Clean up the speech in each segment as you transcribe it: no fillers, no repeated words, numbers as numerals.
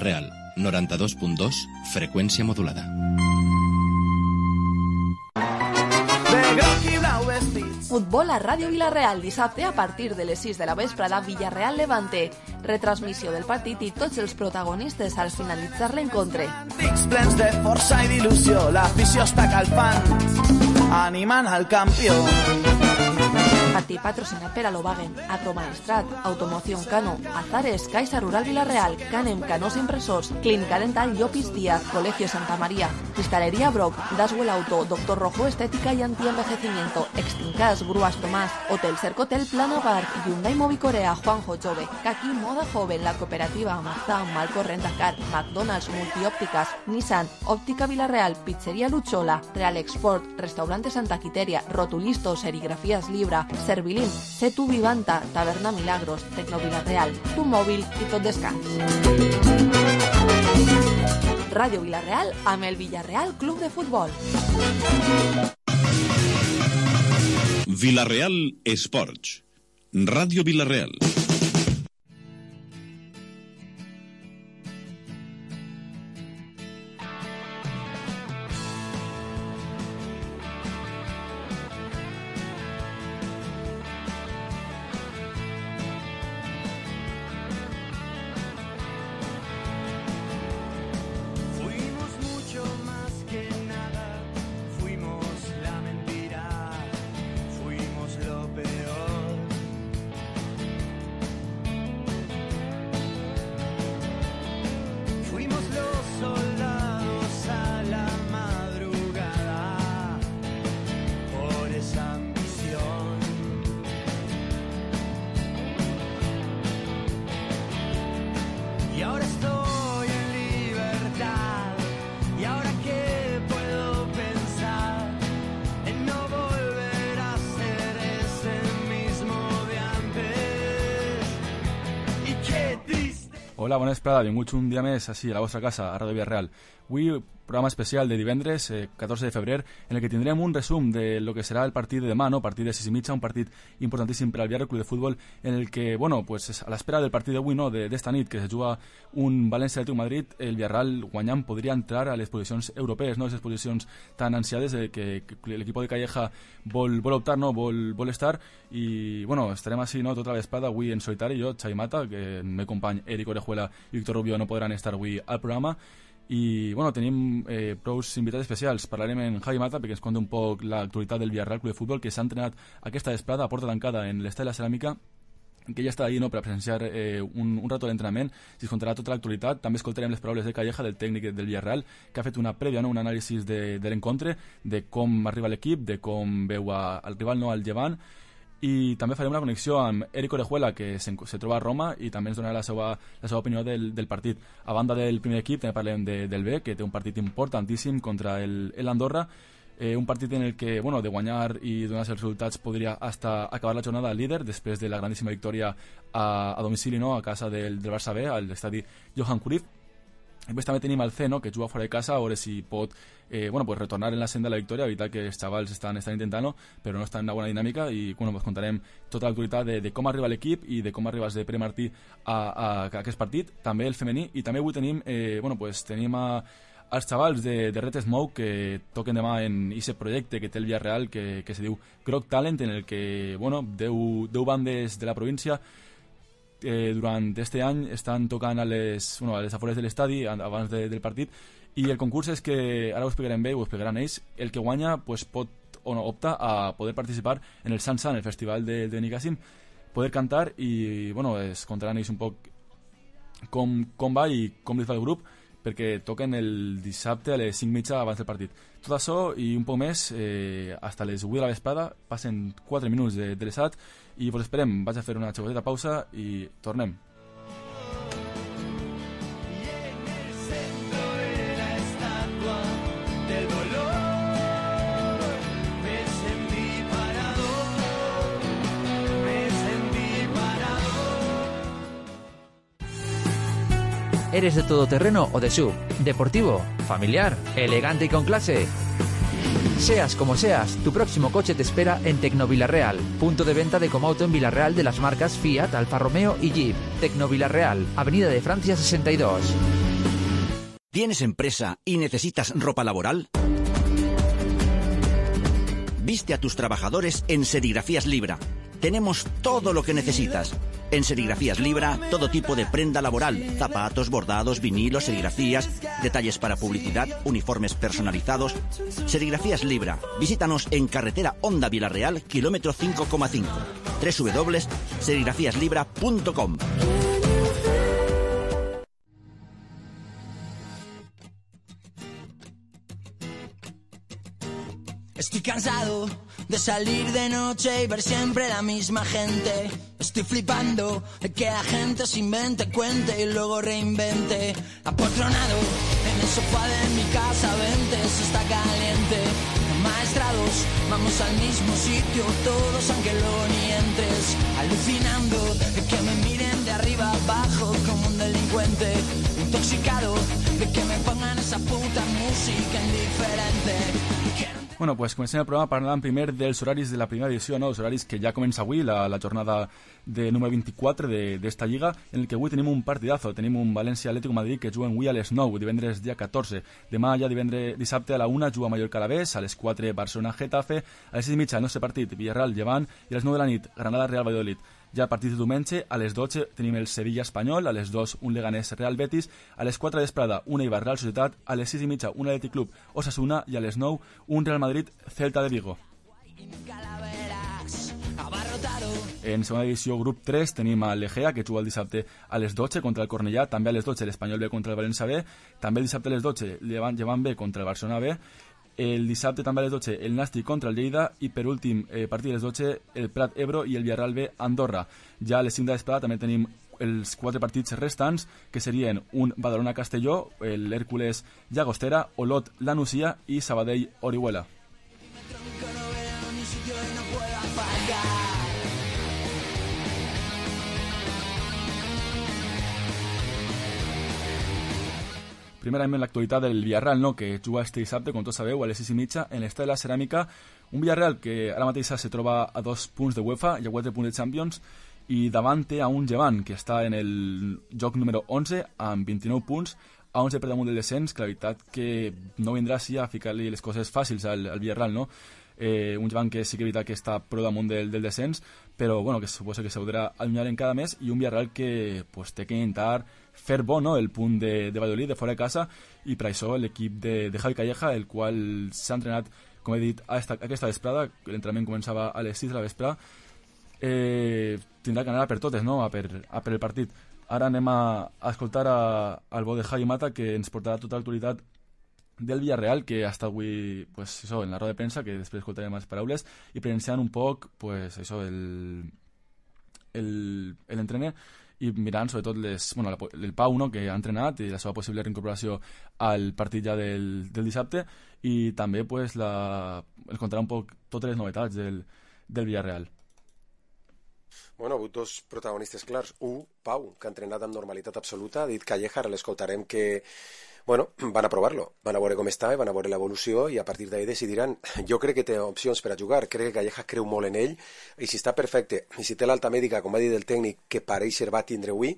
Real, 92.2, freqüència modulada. Futbol a Ràdio Vila-real, dissabte a partir de les 6 de la vesprada, Villarreal-Levante. Retransmissió del partit i tots els protagonistes al finalitzar l'encontre. Plens de força i d'il·lusió, l'afició està calfant, animant al campió. Partit patrocinat per Alobagen, Agromaestrat, Automoción Cano, Azares, Caixa Rural Vila-real, Canem, Canós Impresors, Clínica Dental Llopis Díaz, Colegio Santa María, Cristalería Brock, Daswell Auto, Doctor Rojo Estética y Antienvejecimiento, Extincas, Grúas Tomás, Hotel Cercotel, Plana Bar, Hyundai Movicorea, Juanjo Jove, Kaki Moda Joven, La Cooperativa, Mazda, Malco Rentacar, McDonald's, Multiópticas, Nissan, Óptica Vila-real, Pizzería Luchola, Real Export, Restaurante Santa Quiteria, Rotulisto, Serigrafías Libra, Servilín, Setu Vivanta, Taberna Milagros, Tecno Vila-real, Tu Mòbil i tot descans. Ràdio Vila-real amb el Villarreal Club de Futbol. Vila-real Esports. Ràdio Vila-real. Hola, bona vesprada, benvinguts un dia més així a la vostra casa, a Ràdio Villarreal. Avui, programa especial de divendres, 14 de febrer, en el que tindrem un resum de lo que serà el partit de demà, no? Partit de 6:30, un partit importantíssim per al Villarreal Club de Futbol, en el que, bueno, pues a l'espera del partit d'avui, no? d'esta nit, que se juga un València Atlètic Madrid, el Villarreal guanyant podria entrar a les posicions europees, no? Les posicions tan ansiades que l'equip de Calleja vol optar, no? Vol estar, i, bueno, estarem així, no? Tota la vesprada, avui en solitari, jo, Xavi Mata, que el meu company Eric Orejuela i Víctor Rubio no podran estar avui al programa. I, bueno, tenim prous invitats especials. Parlarem amb Javi Mata perquè ens conta un poc l'actualitat del Villarreal Club de Futbol, que s'ha entrenat aquesta vesprada a porta tancada en l'Estadi de la Ceràmica, que ja està ahí, no?, per a presenciar un rato d'entrenament. Si es contarà tota l'actualitat. També escoltarem les paraules de Calleja, del tècnic del Villarreal, que ha fet una prèvia, no?, un anàlisi de l'encontre, de com arriba l'equip, de com veu al rival, no?, al Llevant. I també farem una connexió amb Eric Orejuela, que se troba a Roma, i també ens donarà la seva opinió del partit. A banda del primer equip, també parlem del B, que té un partit importantíssim contra l'Andorra, un partit en el que, bueno, de guanyar i donar-se els resultats podria hasta acabar la jornada líder, després de la grandíssima victòria a domicili, no?, a casa del Barça B, a l'estadi Johan Cruyff. Després també tenim el C, no?, que juga fora de casa, a veure si pot pues retornar en la senda de la victòria. Veritat que els xavals estan intentant-ho, però no estan en una bona dinàmica, i bueno, pues contarem tota l'actualitat de com arriba l'equip i de com arribes de Pere Martí a aquest partit. També el femení, i també avui tenim tenim els xavals de Red Smoke, que toquen demà en aquest projecte que té el Villarreal, que se diu Groc Talent, en el que 10 bandes de la província durant aquest any estan tocant a les afores de l'estadi abans del partit, i el concurs és que, ara ho explicarem bé, ho explicaran ells, el que guanya pues, pot o no opta a poder participar en el Sansan, el festival de Benicàssim, poder cantar, i es contaran ells un poc com va i com li fa el grup, perquè toquen el dissabte a les 5:30 abans del partit. Tot això i un poc més, fins les 8 de la vesprada, passen 4 minuts de l'esat, i vos esperem. Vaig a fer una xicoteta pausa i tornem. ¿Eres de todoterreno o de SUV? ¿Deportivo? ¿Familiar? ¿Elegante y con clase? Seas como seas, tu próximo coche te espera en Tecnovilarreal, punto de venta de Comauto en Villarreal de las marcas Fiat, Alfa Romeo y Jeep. Tecnovilarreal, Avenida de Francia 62. ¿Tienes empresa y necesitas ropa laboral? Viste a tus trabajadores en Serigrafías Libra. Tenemos todo lo que necesitas. En Serigrafías Libra, todo tipo de prenda laboral, zapatos, bordados, vinilos, serigrafías, detalles para publicidad, uniformes personalizados. Serigrafías Libra. Visítanos en carretera Honda Vilarreal, kilómetro 5,5. www.serigrafiaslibra.com. Estoy cansado de salir de noche y ver siempre la misma gente. Estoy flipando de que la gente se invente, cuente y luego reinvente. Apotronado en el sofá de mi casa, vente, eso está caliente. Maestrados, vamos al mismo sitio todos aunque luego ni entres. Alucinando de que me miren de arriba abajo como un delincuente. Intoxicado de que me pongan esa puta música indiferente. Bueno, pues comencem el programa parlant primer dels horaris de la primera edició, no? Els horaris que ja comença avui, la jornada de número 24 d'esta lliga, en el que avui tenim un partidazo, tenim un València-Atlético Madrid que juguen avui a les 9, divendres dia 14. Demà ja dissabte a la 1 juga Mallorca-Alavés, a les 4 Barcelona-Getafe, a les 6:30 el nostre partit Villarreal-Llevant i a les 9 de la nit Granada-Real Valladolid. Ja a partir de diumenge, a les 12 tenim el Sevilla-Espanyol, a les 2 un Leganés-Real Betis, a les 4 d'Esprada una Eibar-Real Societat, a les 6:30 un Athletic Club Osasuna i a les 9 un Real Madrid-Celta de Vigo. En segona divisió, grup 3, tenim a l'Egea, que juga el dissabte a les 12 contra el Cornellà, també a les 12 l'Espanyol B contra el València B, també el dissabte a les 12 Llevant B contra el Barcelona B, el dissabte també a les 12 el Nàstic contra el Lleida i per últim partit a les 12 el Prat Ebro i el Villarreal B Andorra. Ja a les 5 d'Esprada també tenim els 4 partits restants, que serien un Badalona-Castelló, l'Hèrcules Llagostera, Olot La Nucia i Sabadell Orihuela. Primerament l'actualitat del Villarreal, no? Que juga este dissabte, com tots sabeu, a les 6:30 en l'Estadi de la Ceràmica. Un Villarreal que ara mateix se troba a 2 punts de UEFA i a 4 punts de Champions i davant té a un Llevant que està en el joc número 11 amb 29 punts, a 11 per damunt del descens, que la veritat que no vindrà així a ficar-li les coses fàcils al Villarreal, no? Un Llevant que sí que és veritat que està prou damunt del descens, però bueno, que suposa que s'haurà allunyar encara més, i un Villarreal que pues, té que intentar fer bo, no? El punt de Valladolid, de fora de casa, i per això l'equip de Javi Calleja, el qual s'ha entrenat, com he dit, aquesta vesprada, l'entrenament començava a les 6 de la vesprada, tindrà que anar per totes, no? a per el partit. Ara anem a escoltar al bo de Javi Mata, que ens portarà tota l'actualitat del Villarreal, que ha estat avui pues, això, en la roda de premsa, que després escoltarem les paraules, i presenciant un poc pues, això, l'entrener, i mirant sobretot el Pau, no? Que ha entrenat i la seva possible reincorporació al partit ja del dissabte, i també pues, ens contarà un poc totes les novetats del Villarreal. Bueno, ha hagut dos protagonistes clars. Un, Pau, que ha entrenat amb normalitat absoluta, ha dit Calleja, ara l'escoltarem que bueno, van a provar-lo, van a veure com està, van a veure l'evolució i a partir d'ahí decidiran. Jo crec que té opcions per a jugar, crec que Calleja creu molt en ell i si està perfecte, i si té l'alta mèdica, com va dir el tècnic, que pareix ser va tindre avui,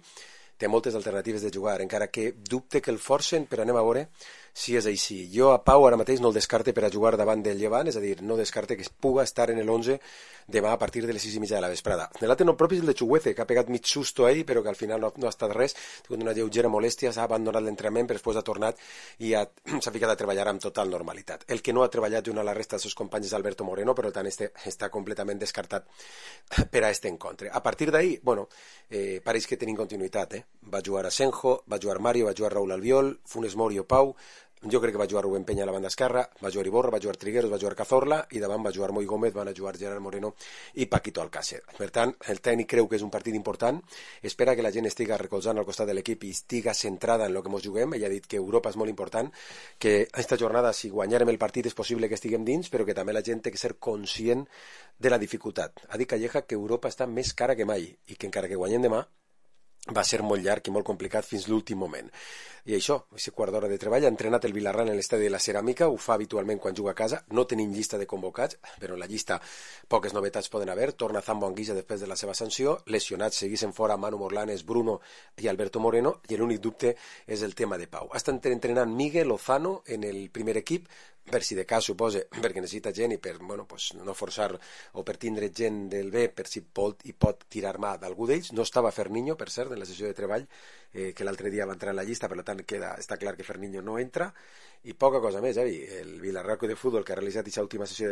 té moltes alternatives de jugar, encara que dubte que el forcen, però anem a veure si és així. Jo a Pau ara mateix no el descarte per a jugar davant del Llevant, és a dir, no descarte que puga estar en l'11 demà a partir de les 6:30 de la vesprada. L'altre no propi és el de Chuguece, que ha pegat mig susto ahir, però que al final no ha estat res, ha tingut una lleugera molèstia, s'ha abandonat l'entrenament, però després ha tornat i s'ha ficat a treballar amb total normalitat. El que no ha treballat junt a la resta dels seus companys és Alberto Moreno, però tant està completament descartat per a este encontre. A partir d'ahir, bueno, pareix que tenim continuïtat, Va jugar Asenjo, va jugar Mario, va jugar Raúl Albiol, Funes Mori o Pau, jo crec que va jugar Rubén Peña a la banda esquerra, va jugar Iborra, va jugar Trigueros, va jugar Cazorla i davant va jugar Moi Gómez, van a jugar Gerard Moreno i Paquito Alcácer. Per tant, el tècnic creu que és un partit important, espera que la gent estiga recolzant al costat de l'equip i estiga centrada en el que ens juguem. Ell ha dit que Europa és molt important, que aquesta jornada, si guanyarem el partit, és possible que estiguem dins, però que també la gent té que ser conscient de la dificultat. Ha dit Calleja que Europa està més cara que mai i que encara que guanyem demà, va ser molt llarg i molt complicat fins l'últim moment. I això, aquest quart d'hora de treball, ha entrenat el Vilarral en l'estadi de la Ceràmica, ho fa habitualment quan juga a casa, no tenim llista de convocats, però en la llista poques novetats poden haver, torna Zambo Anguissa després de la seva sanció, lesionats seguissin fora Manu Morlanes, Bruno i Alberto Moreno, i l'únic dubte és el tema de Pau. Està entrenant Miguel Lozano en el primer equip, per si de cas suposa, perquè necessita gent i per no forçar o per tindre gent del B, per si pot tirar mà d'algú d'ells. No estava Ferniño, per cert, en la sessió de treball, que l'altre dia va entrar en la llista, per tant està clar que Ferniño no entra, i poca cosa més. El Vilarral de Futbol, que ha realitzat aquesta última sessió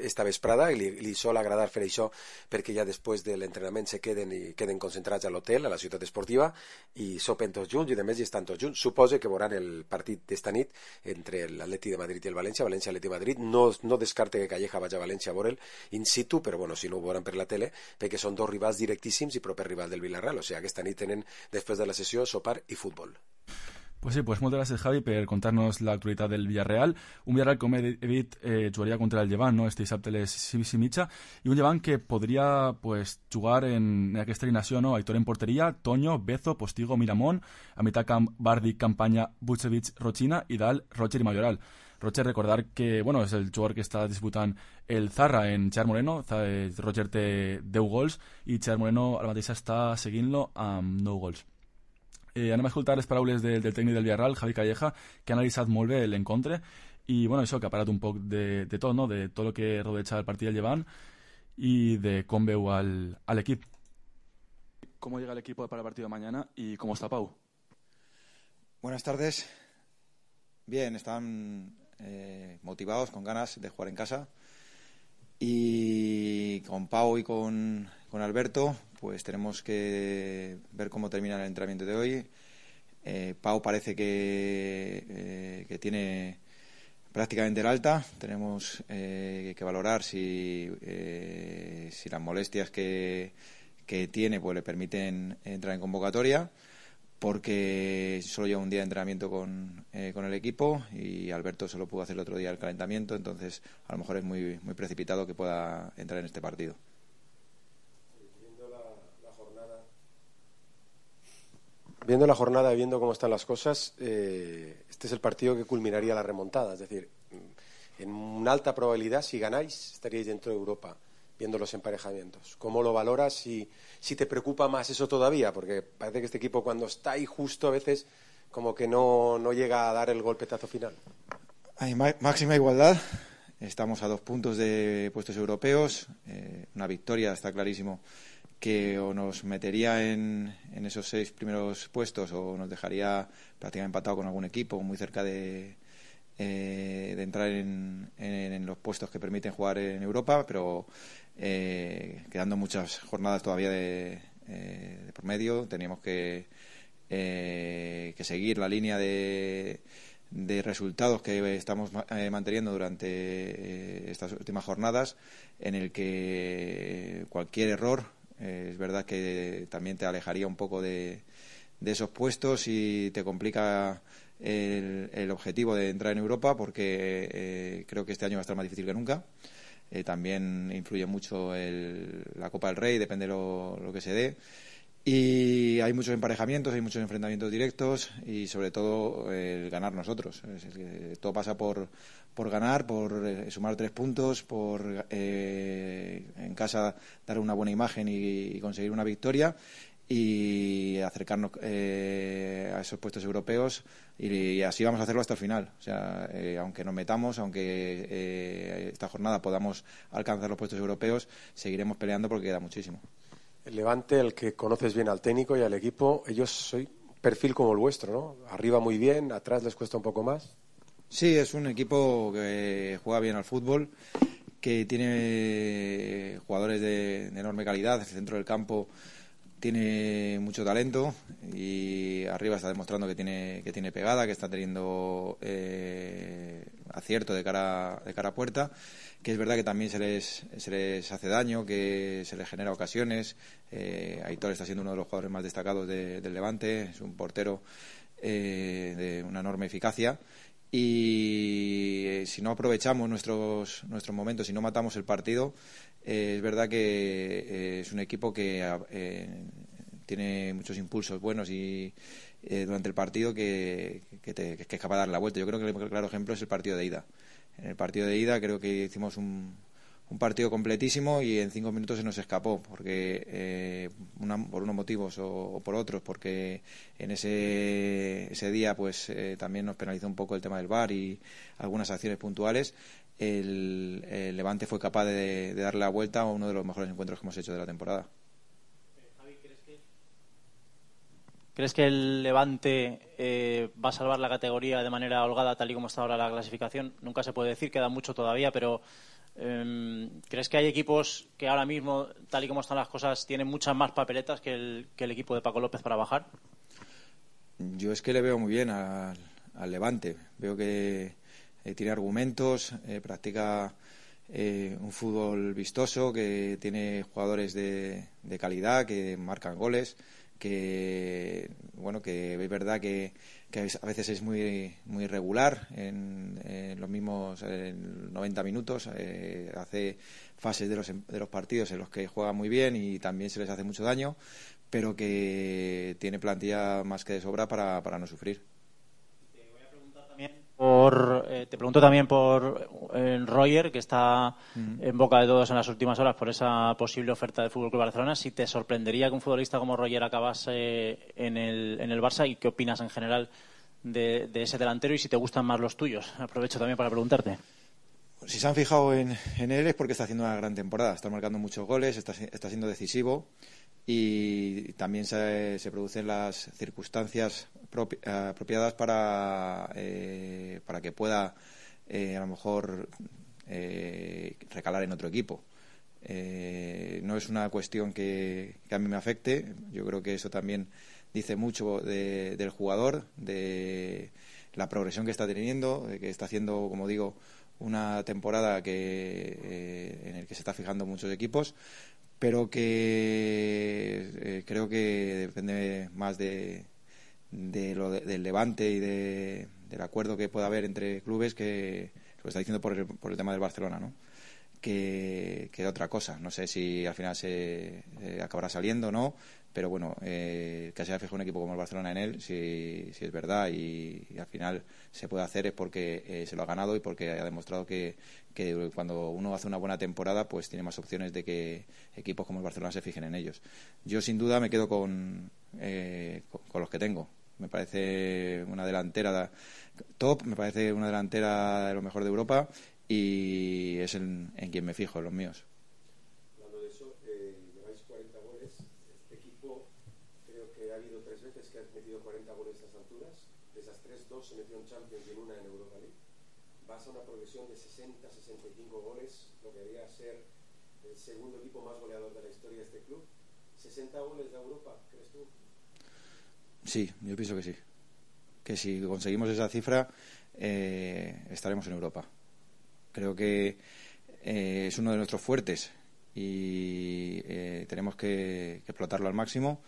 esta vesprada, i li sol agradar fer això perquè ja després de l'entrenament se queden concentrats a l'hotel, a la ciutat esportiva, i sopen tots junts, i a més hi estan tots junts. Suposa que veuran el partit d'esta nit entre l'Atleti de Madrid i el València, València-Atleti de Madrid. No descarte que Calleja vagi a València a veure'l in situ, però si no ho veuran per la tele, perquè són dos rivals directíssims i proper rival del Vilarral. O sigui, aquesta nit tenen, després de la sessió, sopar i futbol. Pues sí, pues moltes gràcies, Javi, per contar-nos l'actualitat del Villarreal. Un Villarreal, com he dit, jugaria contra el Llevant, no? Este dissabte a les 6:30, i un Llevant que podria jugar en aquesta alineació, no? Aitor en porteria, Toño, Bezo, Postigo, Miramón, a mitad camp, Bardi, Campanya, Vucevic, Rochina, i dalt, Roger i Mayoral. Roger, recordar que és el jugador que està disputant el Zarra en Xavier Moreno. Roger té 10 gols i Xavier Moreno ara mateix està seguint-lo amb 9 gols. Anem a escoltar les paraules del tècnic del Villarreal, Javi Calleja, que ha analitzat molt bé l'encontre i això, que ha parlat un poc de tot, no? De tot el que rodeja el partit del Llevant y de cómo veo al equipo. ¿Cómo llega el equipo para el partido de mañana y cómo está Pau? Buenas tardes. Bien, están motivados, con ganas de jugar en casa. Y con Pau y con Alberto, pues tenemos que ver cómo termina el entrenamiento de hoy. Pau parece que tiene prácticamente el alta. Tenemos que valorar si las molestias que tiene pues le permiten entrar en convocatoria, porque solo lleva un día de entrenamiento con el equipo y Alberto solo pudo hacer el otro día el calentamiento, entonces a lo mejor es muy precipitado que pueda entrar en este partido. Viendo la jornada y viendo cómo están las cosas, este es el partido que culminaría la remontada. Es decir, en una alta probabilidad, si ganáis, estaríais dentro de Europa, viendo los emparejamientos. ¿Cómo lo valoras? Si te preocupa más eso todavía, porque parece que este equipo cuando está ahí justo a veces como que no llega a dar el golpetazo final. Hay máxima igualdad. Estamos a 2 puntos de puestos europeos. Una victoria, está clarísimo, que o nos metería en esos 6 primeros puestos o nos dejaría prácticamente empatado con algún equipo, muy cerca de entrar en los puestos que permiten jugar en Europa, pero quedando muchas jornadas todavía de por medio. Teníamos que seguir la línea de resultados que estamos manteniendo durante estas últimas jornadas, en el que cualquier error es verdad que también te alejaría un poco de esos puestos y te complica el objetivo de entrar en Europa, porque creo que este año va a estar más difícil que nunca. También influye mucho la Copa del Rey, depende lo que se dé. Y hay muchos emparejamientos, hay muchos enfrentamientos directos y sobre todo el ganar nosotros. Todo pasa por ganar, por sumar 3 puntos, por en casa dar una buena imagen y conseguir una victoria y acercarnos a esos puestos europeos, y así vamos a hacerlo hasta el final. O sea, aunque nos metamos, aunque esta jornada podamos alcanzar los puestos europeos, seguiremos peleando porque queda muchísimo. El Levante, el que conoces bien al técnico y al equipo, ellos soy perfil como el vuestro, ¿no? Arriba muy bien, atrás les cuesta un poco más. Sí, es un equipo que juega bien al fútbol, que tiene jugadores de enorme calidad. El centro del campo tiene mucho talento y arriba está demostrando que tiene pegada, que está teniendo acierto de cara a puerta, que es verdad que también se les hace daño, que se les genera ocasiones. Aitor está siendo uno de los jugadores más destacados del Levante, es un portero de una enorme eficacia, y si no aprovechamos nuestros momentos, si no matamos el partido, es verdad que es un equipo que tiene muchos impulsos buenos y durante el partido que es capaz de dar la vuelta. Yo creo que el claro ejemplo es el partido de ida. En el partido de ida creo que hicimos un partido completísimo y en 5 minutos se nos escapó porque por unos motivos o por otros, porque en ese día pues también nos penalizó un poco el tema del VAR y algunas acciones puntuales. El Levante fue capaz de darle la vuelta a uno de los mejores encuentros que hemos hecho de la temporada. Javi, ¿crees que el Levante va a salvar la categoría de manera holgada tal y como está ahora la clasificación? Nunca se puede decir, queda mucho todavía, pero ¿crees que hay equipos que ahora mismo, tal y como están las cosas, tienen muchas más papeletas que el equipo de Paco López para bajar? Yo es que le veo muy bien al Levante. Veo que tiene argumentos, practica un fútbol vistoso, que tiene jugadores de calidad, que marcan goles, que es verdad que a veces es muy muy irregular en los mismos 90 minutos, hace fases de los partidos en los que juega muy bien y también se les hace mucho daño, pero que tiene plantilla más que de sobra para no sufrir. Te pregunto también por Roger, que está en boca de todos en las últimas horas por esa posible oferta del FC Barcelona. Si te sorprendería que un futbolista como Roger acabase en el Barça, y qué opinas en general de ese delantero y si te gustan más los tuyos. Aprovecho también para preguntarte. Si se han fijado en él es porque está haciendo una gran temporada. Está marcando muchos goles, está siendo decisivo y también se producen las circunstancias apropiadas para que pueda a lo mejor recalar en otro equipo. No es una cuestión que a mí me afecte. Yo creo que eso también dice mucho del jugador, de la progresión que está teniendo, de que está haciendo, como digo, una temporada en el que se está fijando muchos equipos, pero que creo que depende más del Levante y del acuerdo que pueda haber entre clubes, que lo está diciendo por el tema del Barcelona, ¿no? Que otra cosa. No sé si al final se acabará saliendo o no, pero bueno, que se haya fijado un equipo como el Barcelona en él, si es verdad y al final se puede hacer, es porque se lo ha ganado y porque ha demostrado que cuando uno hace una buena temporada pues tiene más opciones de que equipos como el Barcelona se fijen en ellos. Yo sin duda me quedo con los que tengo. Me parece una delantera top, me parece una delantera de lo mejor de Europa y es en quien me fijo, en los míos. Hablando de eso, lleváis 40 goles. Este equipo creo que ha habido 3 veces que ha metido 40 goles a estas alturas. De esas 3, 2 se metió en Champions y en una en Europa League. Vas a una progresión de 60-65 goles, lo que debería ser el segundo equipo más goleador de la historia de este club. ¿60 goles de Europa, crees tú? Sí, yo pienso que sí. Que si conseguimos esa cifra, estaremos en Europa. Creo que es uno de nuestros fuertes y tenemos que explotarlo al máximo.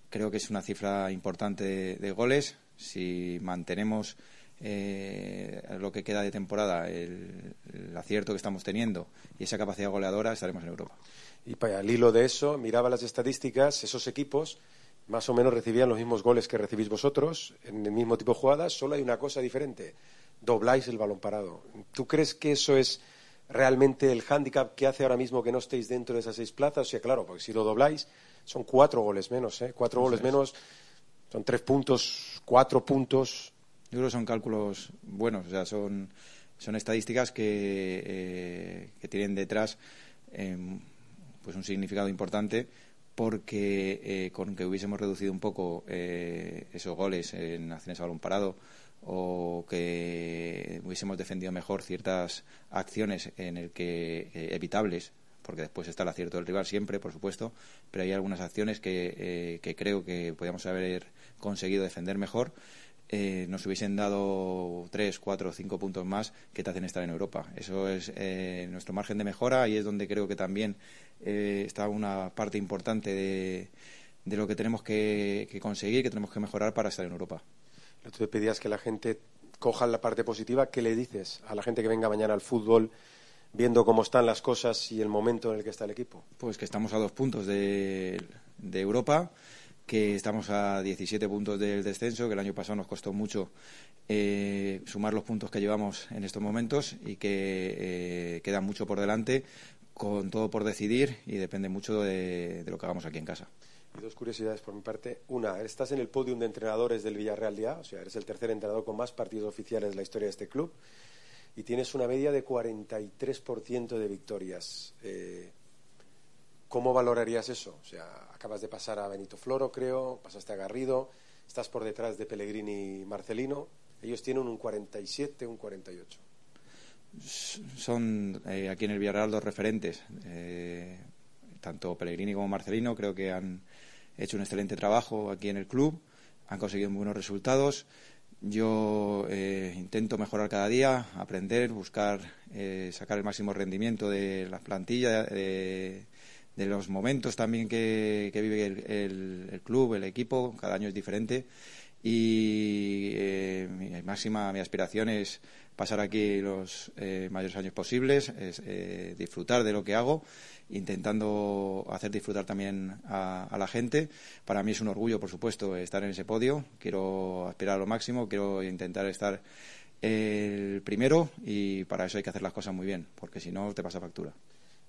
Creo que es una cifra importante de goles. Si mantenemos lo que queda de temporada, el acierto que estamos teniendo y esa capacidad goleadora, estaremos en Europa. Y para el hilo de eso, miraba las estadísticas, esos equipos más o menos recibían los mismos goles que recibís vosotros, en el mismo tipo de jugadas, solo hay una cosa diferente: dobláis el balón parado. ¿Tú crees que eso es realmente el hándicap que hace ahora mismo que no estéis dentro de esas 6 plazas? O sea, claro, porque si lo dobláis son 4 goles menos, 4 goles menos, son 3 puntos, 4 puntos. Yo creo que son cálculos buenos, o sea, son estadísticas que tienen detrás pues un significado importante, porque con que hubiésemos reducido un poco esos goles en acciones a balón parado, o que hubiésemos defendido mejor ciertas acciones en el que evitables, porque después está el acierto del rival siempre, por supuesto, pero hay algunas acciones que creo que podíamos haber conseguido defender mejor, nos hubiesen dado 3, 4, 5 puntos más que te hacen estar en Europa. Eso es nuestro margen de mejora y es donde creo que también está una parte importante de lo que tenemos que conseguir, que tenemos que mejorar para estar en Europa. Tú te pedías que la gente coja la parte positiva. ¿Qué le dices a la gente que venga mañana al fútbol viendo cómo están las cosas y el momento en el que está el equipo? Pues que estamos a 2 puntos de Europa, que estamos a 17 puntos del descenso, que el año pasado nos costó mucho sumar los puntos que llevamos en estos momentos y que queda mucho por delante, con todo por decidir, y depende mucho de lo que hagamos aquí en casa. Y dos curiosidades por mi parte. Una, estás en el podium de entrenadores del Villarreal ya, o sea, eres el tercer entrenador con más partidos oficiales de la historia de este club, y tienes una media de 43% de victorias. ¿Cómo valorarías eso? O sea, acabas de pasar a Benito Floro, creo, pasaste a Garrido, estás por detrás de Pellegrini y Marcelino. Ellos tienen un 47, un 48. Son aquí en el Villarreal dos referentes. Tanto Pellegrini como Marcelino creo que han hecho un excelente trabajo aquí en el club, han conseguido muy buenos resultados. Yo intento mejorar cada día, aprender, buscar sacar el máximo rendimiento de la plantilla, de los momentos también que vive el club, el equipo. Cada año es diferente y mi aspiración es pasar aquí los mayores años posibles, es disfrutar de lo que hago, intentando hacer disfrutar también a la gente. Para mí es un orgullo, por supuesto, estar en ese podio. Quiero aspirar a lo máximo, quiero intentar estar el primero, y para eso hay que hacer las cosas muy bien, porque si no te pasa factura.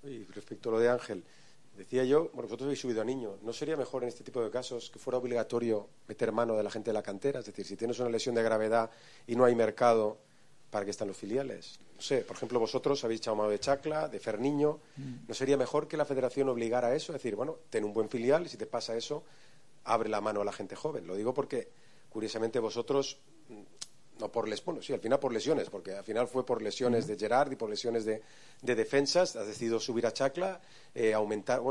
Y respecto a lo de Ángel, decía yo, bueno, vosotros habéis subido a niño, ¿no sería mejor en este tipo de casos que fuera obligatorio meter mano de la gente de la cantera? Es decir, si tienes una lesión de gravedad y no hay mercado, ¿para qué están los filiales? No sé, por ejemplo, vosotros habéis echado mano de Chacla, de Ferniño. ¿No sería mejor que la federación obligara a eso? Es decir, bueno, ten un buen filial y si te pasa eso, abre la mano a la gente joven. Lo digo porque, curiosamente, vosotros, no por bueno, sí, al final por lesiones, porque al final fue por lesiones de Gerard y por lesiones de defensas, has decidido subir a Chacla,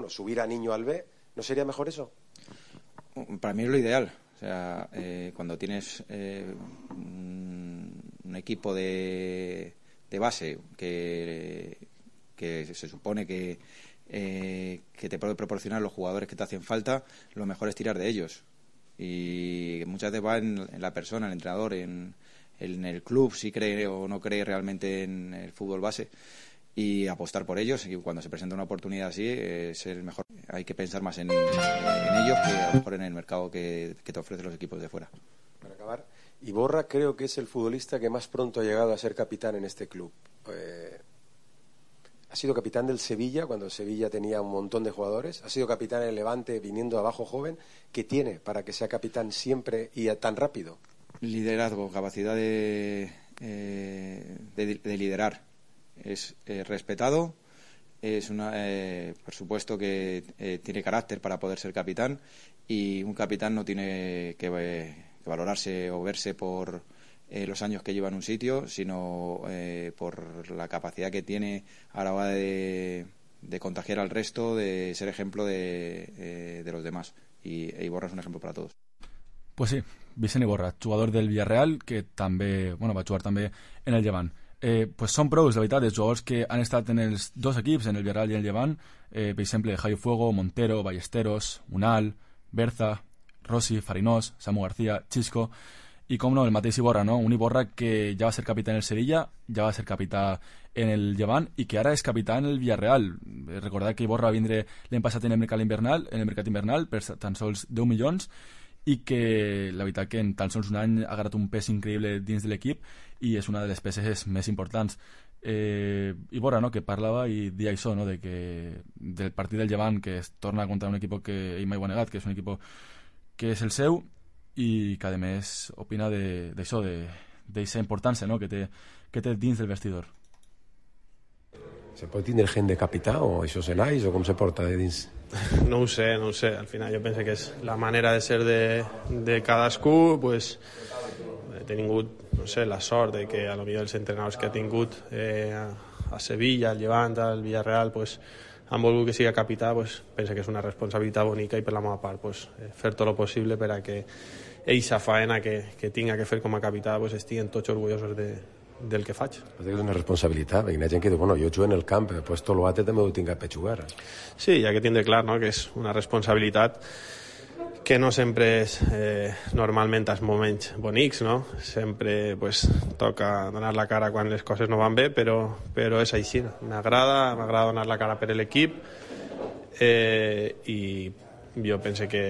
subir a Niño al B. ¿No sería mejor eso? Para mí es lo ideal. O sea, cuando tienes un equipo de base que se supone que te puede proporcionar los jugadores que te hacen falta, lo mejor es tirar de ellos. Y muchas veces va en la persona, en el entrenador, en el club, si cree o no cree realmente en el fútbol base, y apostar por ellos. Y cuando se presenta una oportunidad así, es el mejor. Hay que pensar más en ellos que a lo mejor en el mercado que te ofrecen los equipos de fuera. Para acabar, Iborra creo que es el futbolista que más pronto ha llegado a ser capitán en este club. Ha sido capitán del Sevilla cuando el Sevilla tenía un montón de jugadores. Ha sido capitán en el Levante viniendo abajo joven. ¿Qué tiene para que sea capitán siempre y tan rápido? Liderazgo, capacidad de liderar. Es respetado. Es por supuesto que tiene carácter para poder ser capitán, y un capitán no tiene que valorarse o verse por los años que lleva en un sitio, sino por la capacidad que tiene a la hora de contagiar al resto, de ser ejemplo de los demás. Y Iborra es un ejemplo para todos. Pues sí, Vicent Iborra, jugador del Villarreal, que també va jugar també en el Llevant. Pues són prous, de veritat, els jugadors que han estat en els dos equips, en el Villarreal i el Llevant, per exemple, Javi Fuego, Montero, Ballesteros, Unal, Berza, Rossi, Farinós, Samu García, Chisco, i com no, el mateix Iborra, no? Un Iborra que ja va ser capità en el Sevilla, ja va ser capità en el Llevant i que ara és capità en el Villarreal. Recordar que Iborra va vindre l'any passat en el mercat invernal per tan sols 10 milions, i que la veritat que en tan sols un any ha agarrat un pes increïble dins de l'equip i és una de les peces més importants. Iborra, no?, que parlava i deia això, no?, de que del partit del Llevant, que es torna contra un equip que ell mai ho ha negat, que és un equip que és el seu, i que a més opina d'això, d'aquesta importància, no?, que té dins del vestidor. ¿Se pot tindre gent de capità o això se naix o com se porta de dins? No ho sé. Al final jo penso que és la manera de ser de cadascú. Pues, he tingut, no sé, la sort de que a lo millor els entrenadors que ha tingut a Sevilla, al Llevant, al Villarreal, pues, han volgut que siga capità. Pues, penso que és una responsabilitat bonica i per la meva part pues, fer tot el possible per a que eixa faena que tinga que fer com a capità pues, estiguen tots orgullosos del que faig. És una responsabilitat, perquè hi ha gent que diu, bueno, jo jugo en el camp, pues tot l'altre també ho tinc per jugar. Sí, hi ha que tindre clar, no?, que és una responsabilitat que no sempre és normalment als moments bonics, no? Sempre pues, toca donar la cara quan les coses no van bé, però és així. M'agrada donar la cara per l'equip i jo penso que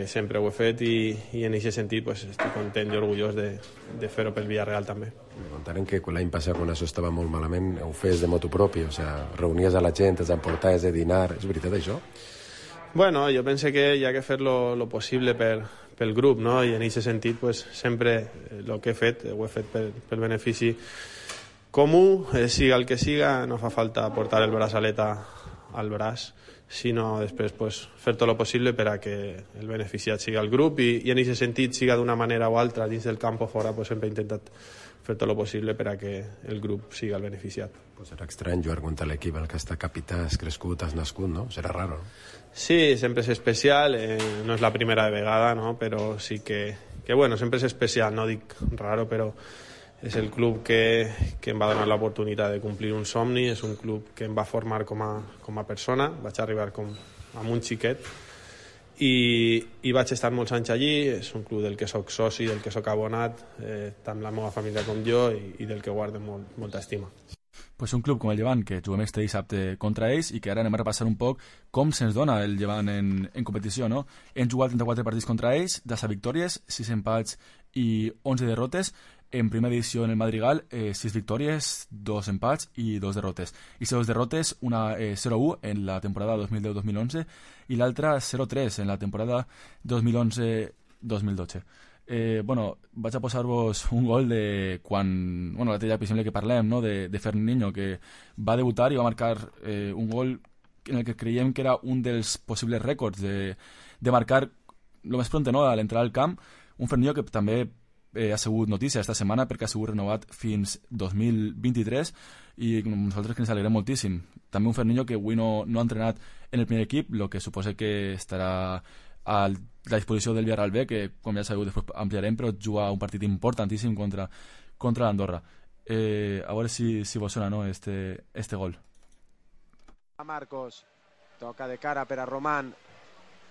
sempre ho he fet i en aquest sentit pues, estic content i orgullós de fer-ho pel Villarreal també. Contarem que l'any passat quan això estava molt malament ho fes de motu propi, o sea, reunies a la gent, els emportaves de dinar, és veritat això? Bueno, jo penso que hi ha que fer lo possible pel grup, no? I en aquest sentit pues, sempre el que he fet ho he fet pel benefici comú, siga el que siga, no fa falta portar el braçalet al braç, sinó després pues, fer tot el possible per a que el beneficiat siga el grup i en aquest sentit, siga d'una manera o altra, dins del camp o fora, pues, sempre he intentat fer tot el possible per a que el grup siga el beneficiat. Pues serà estrany jugar contra l'equip al que està capità, has crescut, has nascut, no? Serà raro, no? Sí, sempre és especial, no és la primera vegada, no? Però sí que bueno, sempre és especial, no dic raro, però és el club que em va donar l'oportunitat de complir un somni, és un club que em va formar com a persona, vaig arribar amb un xiquet i vaig estar molts anys allí, és un club del que soc soci, del que soc abonat, tant la meva família com jo i del que guardo molta estima. Pues un club com el Llevant, que juguem este dissabte contra ells i que ara anem a repassar un poc com se'ns dona el Llevant en competició, no? Hem jugat 34 partits contra ells, 10 victòries, 6 empats i 11 derrotes. En primera edició en el Madrigal, 6 victòries, 2 empats i 2 derrotes. I 2 derrotes, una 0-1 en la temporada 2010-2011 i l'altra 0-3 en la temporada 2011-2012. Bueno, vaig a posar-vos un gol de quan, bueno, l'altre dia possible que parlem, no? de Ferniño, que va debutar i va marcar un gol en el que creiem que era un dels possibles rècords de marcar el més pront, no?, a l'entrada al camp. Un Ferniño que també ha sigut notícia esta setmana perquè ha sigut renovat fins 2023 i nosaltres que ens alegrem moltíssim. També un Ferniño que avui no ha entrenat en el primer equip, el que suposa que estarà a la disposició del Villarreal B, que com ja sabeu després ampliarem, però juga un partit importantíssim contra l'Andorra. A veure si vos sona, no, este gol. Marcos, toca de cara per a Román,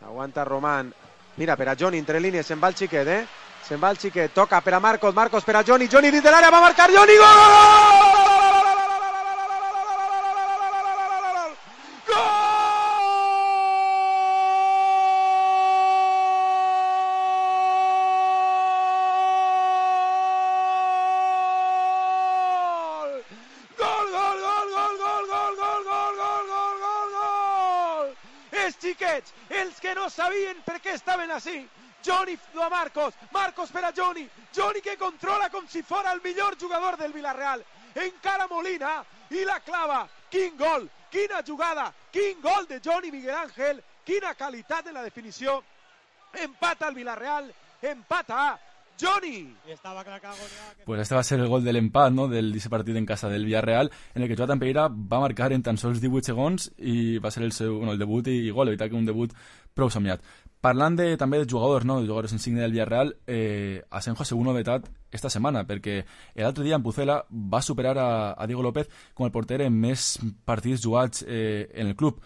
aguanta Román, mira, per a Johnny, entre línies, se'n va el xiquet, se'n va el xiquet, toca per a Marcos, Marcos per a Johnny, Johnny dins de l'àrea, va marcar Johnny, gol! Els que no sabien per què estaven així. Johnny a Marcos, Marcos per a Johnny, Johnny que controla com si fora el millor jugador del Villarreal. Encara Molina i la clava. Quin gol, quina jugada, quin gol de Johnny Miguel Ángel, quina qualitat en la definició. Empata el Villarreal, empata Johnny. Pues este va a ser el gol del empat, no?, del partit en casa del Villarreal, en el que Jonathan Pereira va marcar en tan sols 18 segons i va ser el debut i gol, veritat que un debut prou somiat. Parlant també de jugadors, no?, de jugadors insigne del Villarreal, Asenjo ha sigut novetat esta setmana, perquè l'altre dia en Pucela va superar a Diego López com el porter en més partits jugats en el club.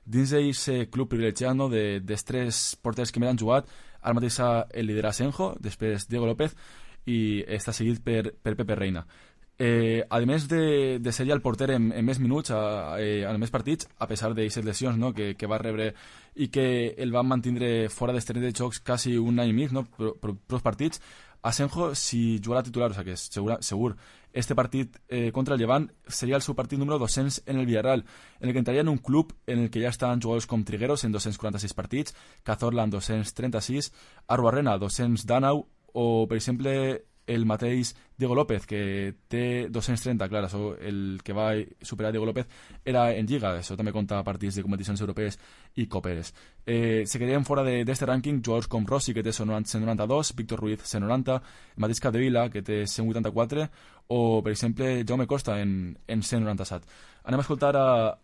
Dins d'aquest club privilegiat, no?, dels 3 porters que més han jugat, ara mateix el lidera Asenjo, després Diego López i està seguit per Pepe Reina. A més de ser ja el porter en més minuts, en més partits, a pesar d'aquestes lesions, no?, que va rebre i que el van mantindre fora dels terrenys de jocs quasi un any i mig, no?, per els partits, Asenjo, si jugarà titular, o sigui que és segur, este partit contra el Llevant seria el seu partit número 200 en el Villarreal, en el que entraria en un club en el que ja estan jugadors com Trigueros en 246 partits, Cazorla en 236, Arruarrena 200 d'Anau, o per exemple el mateix Diego López, que té 230, clar, això, el que va superar Diego López era en Lliga, això també compta partits de competicions europees i coperes. Se quedaríem fora d'este rànquing jugadors com Rossi, que té 192, Víctor Ruiz 190, el mateix Capdevila, que té 184, o per exemple Jaume Costa en 197. Anem a escoltar a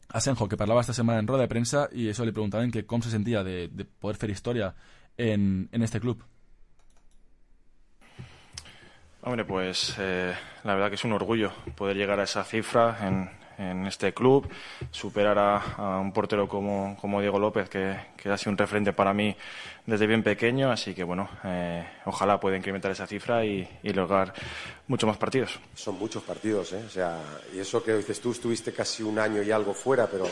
Asenjo, que parlava esta setmana en roda de premsa, i això li preguntaven que com se sentia de poder fer història en este club. Hombre, pues la verdad que es un orgullo poder llegar a esa cifra en este club, superar a un portero como Diego López, que ha sido un referente para mí desde bien pequeño, así que bueno, ojalá pueda incrementar esa cifra y lograr muchos más partidos. Son muchos partidos, o sea, y eso que dices tú, estuviste casi un año y algo fuera, pero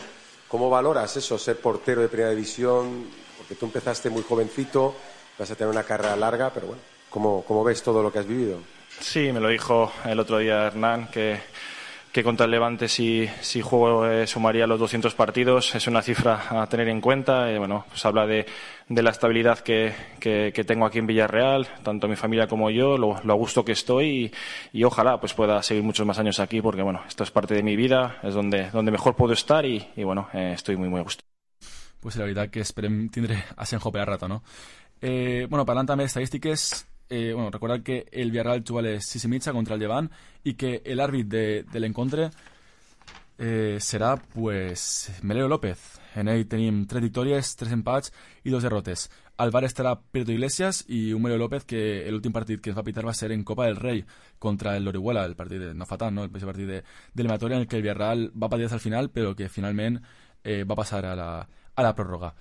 ¿cómo valoras eso, ser portero de primera división Porque tú empezaste muy jovencito, vas a tener una carrera larga, pero bueno, ¿cómo ves todo lo que has vivido? Sí, me lo dijo el otro día Hernán, que contra el Levante si juego sumaría los 200 partidos. Es una cifra a tener en cuenta. Bueno, pues habla de la estabilidad que tengo aquí en Villarreal, tanto mi familia como yo, lo a gusto que estoy y ojalá pues pueda seguir muchos más años aquí, porque bueno, esto es parte de mi vida, es donde mejor puedo estar y bueno, estoy muy a gusto. Pues la veritat que esperem tindre a Senjo per a rato, no? Bueno, parlant també d'estadístiques, recordar que el Villarreal juga a les 6:30 contra el Llevant i que l'àrbit de l'encontre serà pues Melero López. En ell tenim 3 victòries, 3 empats i 2 derrotes. Al bar estarà Pedro Iglesias i un Melero López que l'últim partit que ens va pitar va ser en Copa del Rei contra el Orihuela, el partit no fa tant, no? El partit d'eliminatòria en el que el Villarreal va patir al final però que finalment va passar a la pròrroga.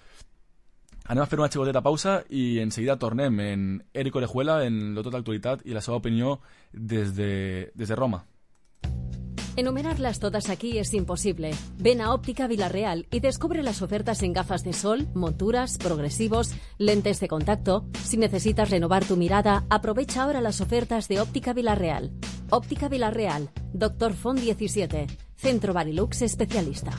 Anem a fer una xicoteta pausa i enseguida tornem en Eric Orejuela, en lo tot d'actualitat i la seva opinió des de Roma. Enumerarlas todas aquí es imposible. Ven a Óptica Villarreal y descubre las ofertas en gafas de sol, monturas, progresivos, lentes de contacto. Si necesitas renovar tu mirada, aprovecha ahora las ofertas de Óptica Villarreal. Óptica Villarreal, Dr. Font 17, Centro Barilux especialista.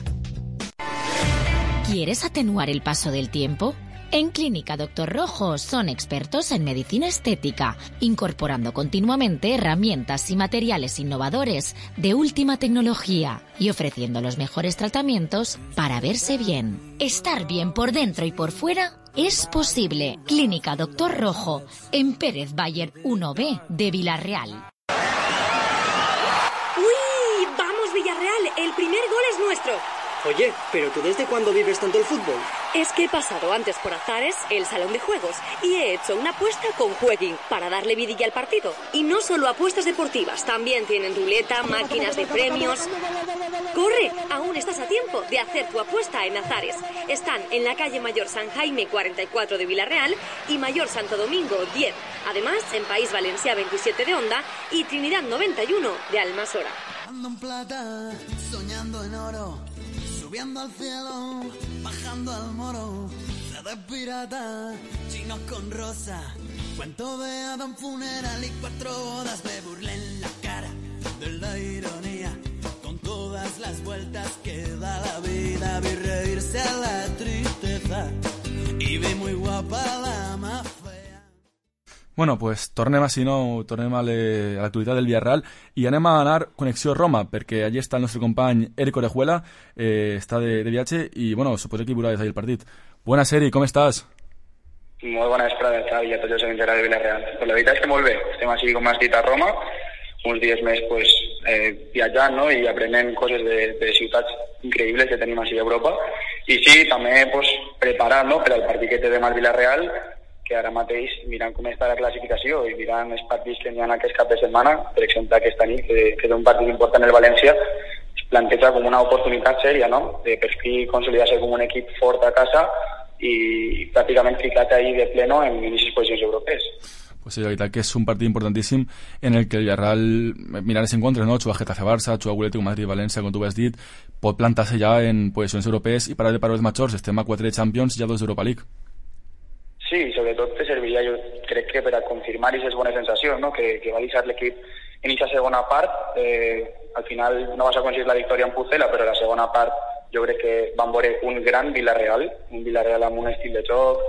¿Quieres atenuar el paso del tiempo? En Clínica Dr. Rojo son expertos en medicina estética, incorporando continuamente herramientas y materiales innovadores de última tecnología y ofreciendo los mejores tratamientos para verse bien. Estar bien por dentro y por fuera es posible. Clínica Dr. Rojo, en Pérez Bayer 1B de Villarreal. ¡Uy! ¡Vamos, Villarreal! El primer gol es nuestro. Oye, ¿pero tú desde cuándo vives tanto el fútbol? Es que he pasado antes por Azares, el salón de juegos, y he hecho una apuesta con Jueguin para darle vidilla al partido. Y no solo apuestas deportivas, también tienen ruleta, máquinas de premios. ¡Corre! Aún estás a tiempo de hacer tu apuesta en Azares. Están en la calle Mayor San Jaime 44 de Villarreal y Mayor Santo Domingo 10. Además, en País Valencia 27 de Onda y Trinidad 91 de Almasora. Ando en plata, soñando en oro. Subiendo al cielo, bajando al moro, de pirata, chinos con rosa, cuento de Adam funeral y 4 bodas, me burlé en la cara de la ironía, con todas las vueltas que da la vida, vi reírse a la tristeza y vi muy guapa la más fea. Bueno, pues tornem així, no? Tornem a l'actualitat del Villarreal i anem a anar connexió Roma, perquè allí està el nostre company Eric Orejuela, està de viatge i, bueno, suposo que hi veurà des del partit. Buenas, Eric, com estàs? Molt bona vesprada, Xavi, i a tots els amics de Villarreal. Pues la veritat és que molt bé, estem així, com has dit, a Roma, uns dies més pues, viatjant, no? I aprenent coses de ciutats increïbles que tenim així a Europa. I sí, també pues, preparat, no?, per al partit que té demà el Villarreal, que ara mateix mirant com està la classificació i mirant els partits que hi ha aquest cap de setmana, per exemple aquesta nit, que és un partit important el València, es planteja com una oportunitat sèria, no?, de per fi consolidar-se com un equip fort a casa i pràcticament ficat ahí de pleno en inicis posicions europees. Pues sí, la veritat que és un partit importantíssim en el que el Villarreal, mirant els encontres, no?, juga Getafe-Barça, juga Atlético Madrid-València, com tu has dit, pot plantar-se ja en posicions europees i parar de paraules majors. Estem a 4 de Champions i a 2 d'Europa League. Sí, sobretot te serviria, jo crec que per a confirmar aquestes bones sensacions, no?, que va deixar l'equip en aquesta segona part. Al final no vas aconseguir la victòria en Pucela, però la segona part jo crec que van veure un gran Villarreal, un Villarreal amb un estil de joc,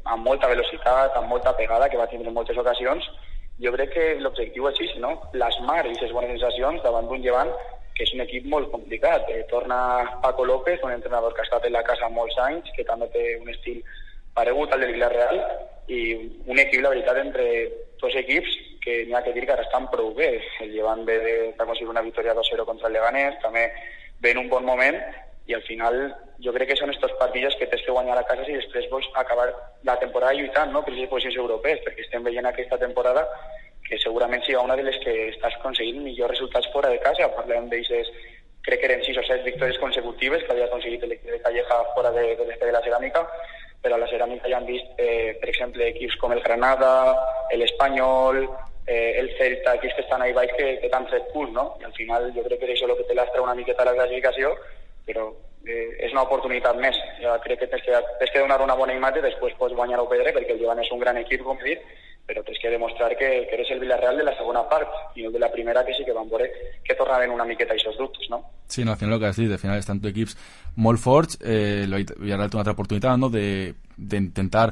amb molta velocitat, amb molta pegada, que va tindre en moltes ocasions. Jo crec que l'objectiu és així, no?, plasmar aquestes bones sensacions davant d'un Llevant que és un equip molt complicat. Torna Paco López, un entrenador que ha estat en la casa molts anys, que també té un estil paregut al del Villarreal i un equip, la veritat, entre dos equips que n'hi ha que dir que ara estan prou bé. El Llevant ve d'aconseguir una victòria 2-0 contra el Leganés, també ve en un bon moment i al final jo crec que són estos partits que tens que guanyar a casa si després vols acabar la temporada lluitant, no?, per les posicions europees, perquè estem veient aquesta temporada que segurament siga una de les que estàs aconseguint millors resultats fora de casa. Parlem d'aixes, crec que eren 6 o 7 victòries consecutives que havia aconseguit l'equip de Calleja fora de l'Estadi de la Ceràmica, però a la Ceràmica ja han vist, per exemple, equips com el Granada, l'Espanyol, el Celta, equips que estan ahí baix que t'han tret punts, no? I al final jo crec que és això el que té l'astra una miqueta a la classificació, però és una oportunitat més. Jo crec que tens que donar una bona imatge, després pots guanyar o perdre, perquè el Llevant és un gran equip, com he dit, però tens que demostrar que eres el Villarreal de la segona part, i no de la primera, que sí que van veure que tornaven una miqueta aquests dubtes, no? Sí, no, al final el que has dit, al final estan dos equips molt forts, el Villarreal té una altra oportunitat, no?, d'intentar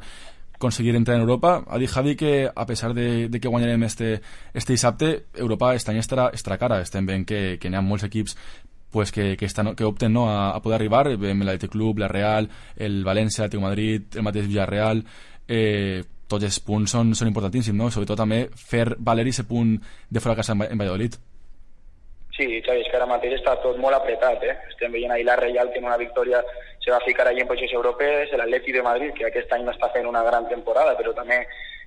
conseguir entrar en Europa. Ha dit Javi que a pesar de que guanyarem este dissabte, Europa este any estarà cara. Estem veient que n'hi ha molts equips pues que opten, no, a poder arribar. Veiem l'Athletic Club, la Real, el València, l'Atlètic Madrid, el mateix Villarreal. Tots els punts són importantíssims, no? Sobretot també fer valer aquest punt de fora de casa en Valladolid. Sí, Xavi, és que ara mateix està tot molt apretat, Estem veient ahir la Real, que en una victòria se va ficar allí en posicions europees, l'Atlètic de Madrid, que aquest any no està fent una gran temporada, però també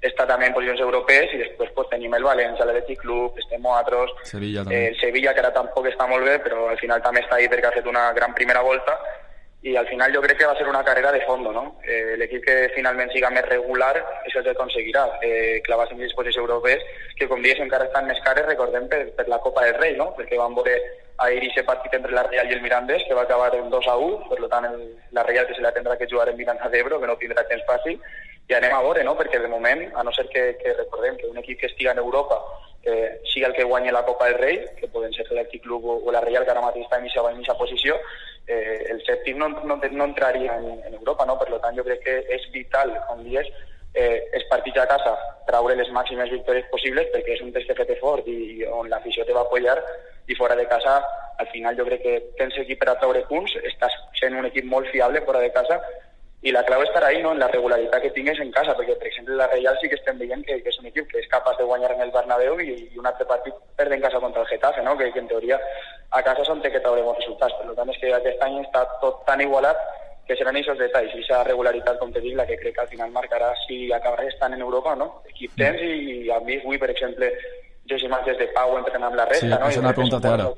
està també en posicions europees, i després pues, tenim el València, l'Atlètic Club, estem nosaltres, Sevilla, també. El Sevilla, que ara tampoc està molt bé, però al final també està ahí perquè ha fet una gran primera volta, i al final jo crec que va ser una carrera de fondo, no? L'equip que finalment siga més regular és el que aconseguirà clavar en les posicions europees, que com dius encara estan més cares, recordem, per la Copa del Rei, no? Perquè van veure ahir aquest partit entre la Real i el Mirandés, que va acabar en 2-1, per tant la Real que se la tindrà que jugar en Miranda d'Ebro, que no tindrà temps fàcil, i anem a veure, no? Perquè de moment, a no ser que recordem que un equip que estiga en Europa sigui el que guanyi la Copa del Rei, que poden ser l'Atlètic Club o la Real, que ara mateix està en aquesta posició, el sèptim no entraria en Europa, no? Per tant, jo crec que és vital, com dius, els partits a casa, traure les màximes victòries possibles, perquè és un test que fet fort i on l'afició te va apoyar, i fora de casa, al final jo crec que tens equip per a traure punts, estàs sent un equip molt fiable fora de casa, i la clau estarà ahí, no?, en la regularitat que tingues en casa, perquè, per exemple, la Real sí que estem veient que és un equip que és capaç de guanyar en el Bernabéu i un altre partit perd en casa contra el Getafe, no?, que en teoria a casa són té que treure bons resultats. Per tant, és que aquest any està tot tan igualat que seran aquests detalls, i aquesta regularitat, com te dic, la que crec que al final marcarà si acabarà estant en Europa, no? Equip tens, i a mi avui, per exemple, jo sé imatges de Pau entrenant amb la resta, sí, no? És una pregunta ara.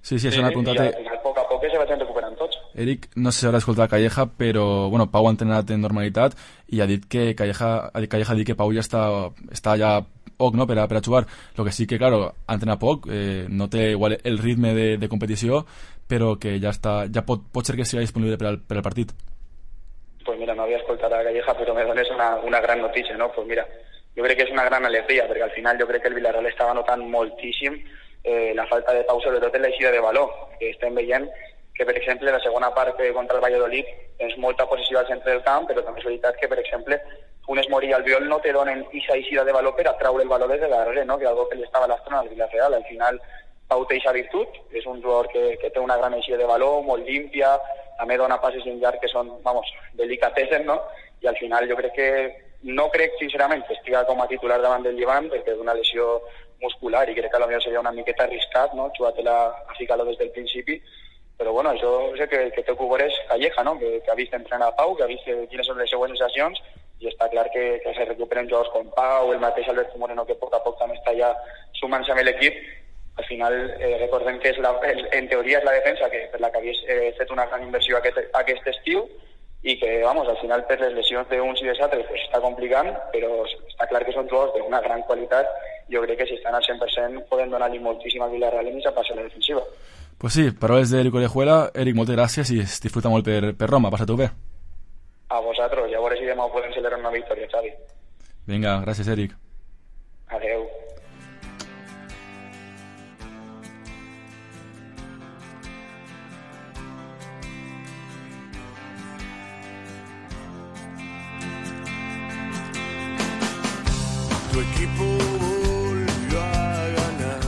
Sí, és una pregunta. I al final, a poc a poc, se vagin recuperant tots. Eric, no sé si haurà escoltat Calleja, però bueno, Pau ha entrenat en normalitat i ha dit que Calleja ha dit que Pau ja està ja poc, no?, per a jugar. Lo que sí que, claro, ha entrenat poc, no té igual el ritme de competició, però que ja pot ser que sigui disponible per al partit. Pues mira, no havia escoltat a Calleja, però me dones una gran notícia, no? Pues mira, jo crec que és una gran alegria, perquè al final jo crec que el Villarreal estava notant moltíssim la falta de Pau, sobretot en l'eixida de valor, que estem veient que, per exemple, la segona part contra el Valladolid és molta posició al centre del camp, però també és veritat que, per exemple, Funes Mori i Albiol no te donen aquesta eixida de valor per a traure el valor des de darrere, no?, que és algo que li estava lastrant al Villarreal. Al final, Pau té aquesta virtut, és un jugador que té una gran eixida de valor, molt límpia, també dona passes en llarg que són, delicatessen, no?, i al final jo crec que, no crec sincerament que estiga com a titular davant del Llevant, perquè és una lesió muscular i crec que potser seria una miqueta arriscat, no?, jugar-te-la a ficar-lo des del principi, però bueno, això sé que té que veure és Calleja, no?, que ha vist entrenar Pau, que ha vist quines són les seues sensacions, i està clar que se recuperen jugadors com Pau, el mateix Alberto Moreno, que a poc a poc també està ja sumant-se amb l'equip. Al final, recordem que en teoria és la defensa per la que havies fet una gran inversió aquest estiu, i que, al final, per les lesions d'uns i dels altres està complicant, però està clar que són jugadors d'una gran qualitat. Jo crec que si estan al 100% poden donar-li moltíssim al Villarreal en aquesta part de la defensiva. Pues sí, paraules d'Eric Orejuela. Eric, moltes gràcies i es disfruta molt per Roma. Passa-t'ho bé. A vosaltres, ja veure si demà podem celebrar una victòria, Xavi. Vinga, gràcies, Eric. Adeu. Tu equipo volvió a ganar.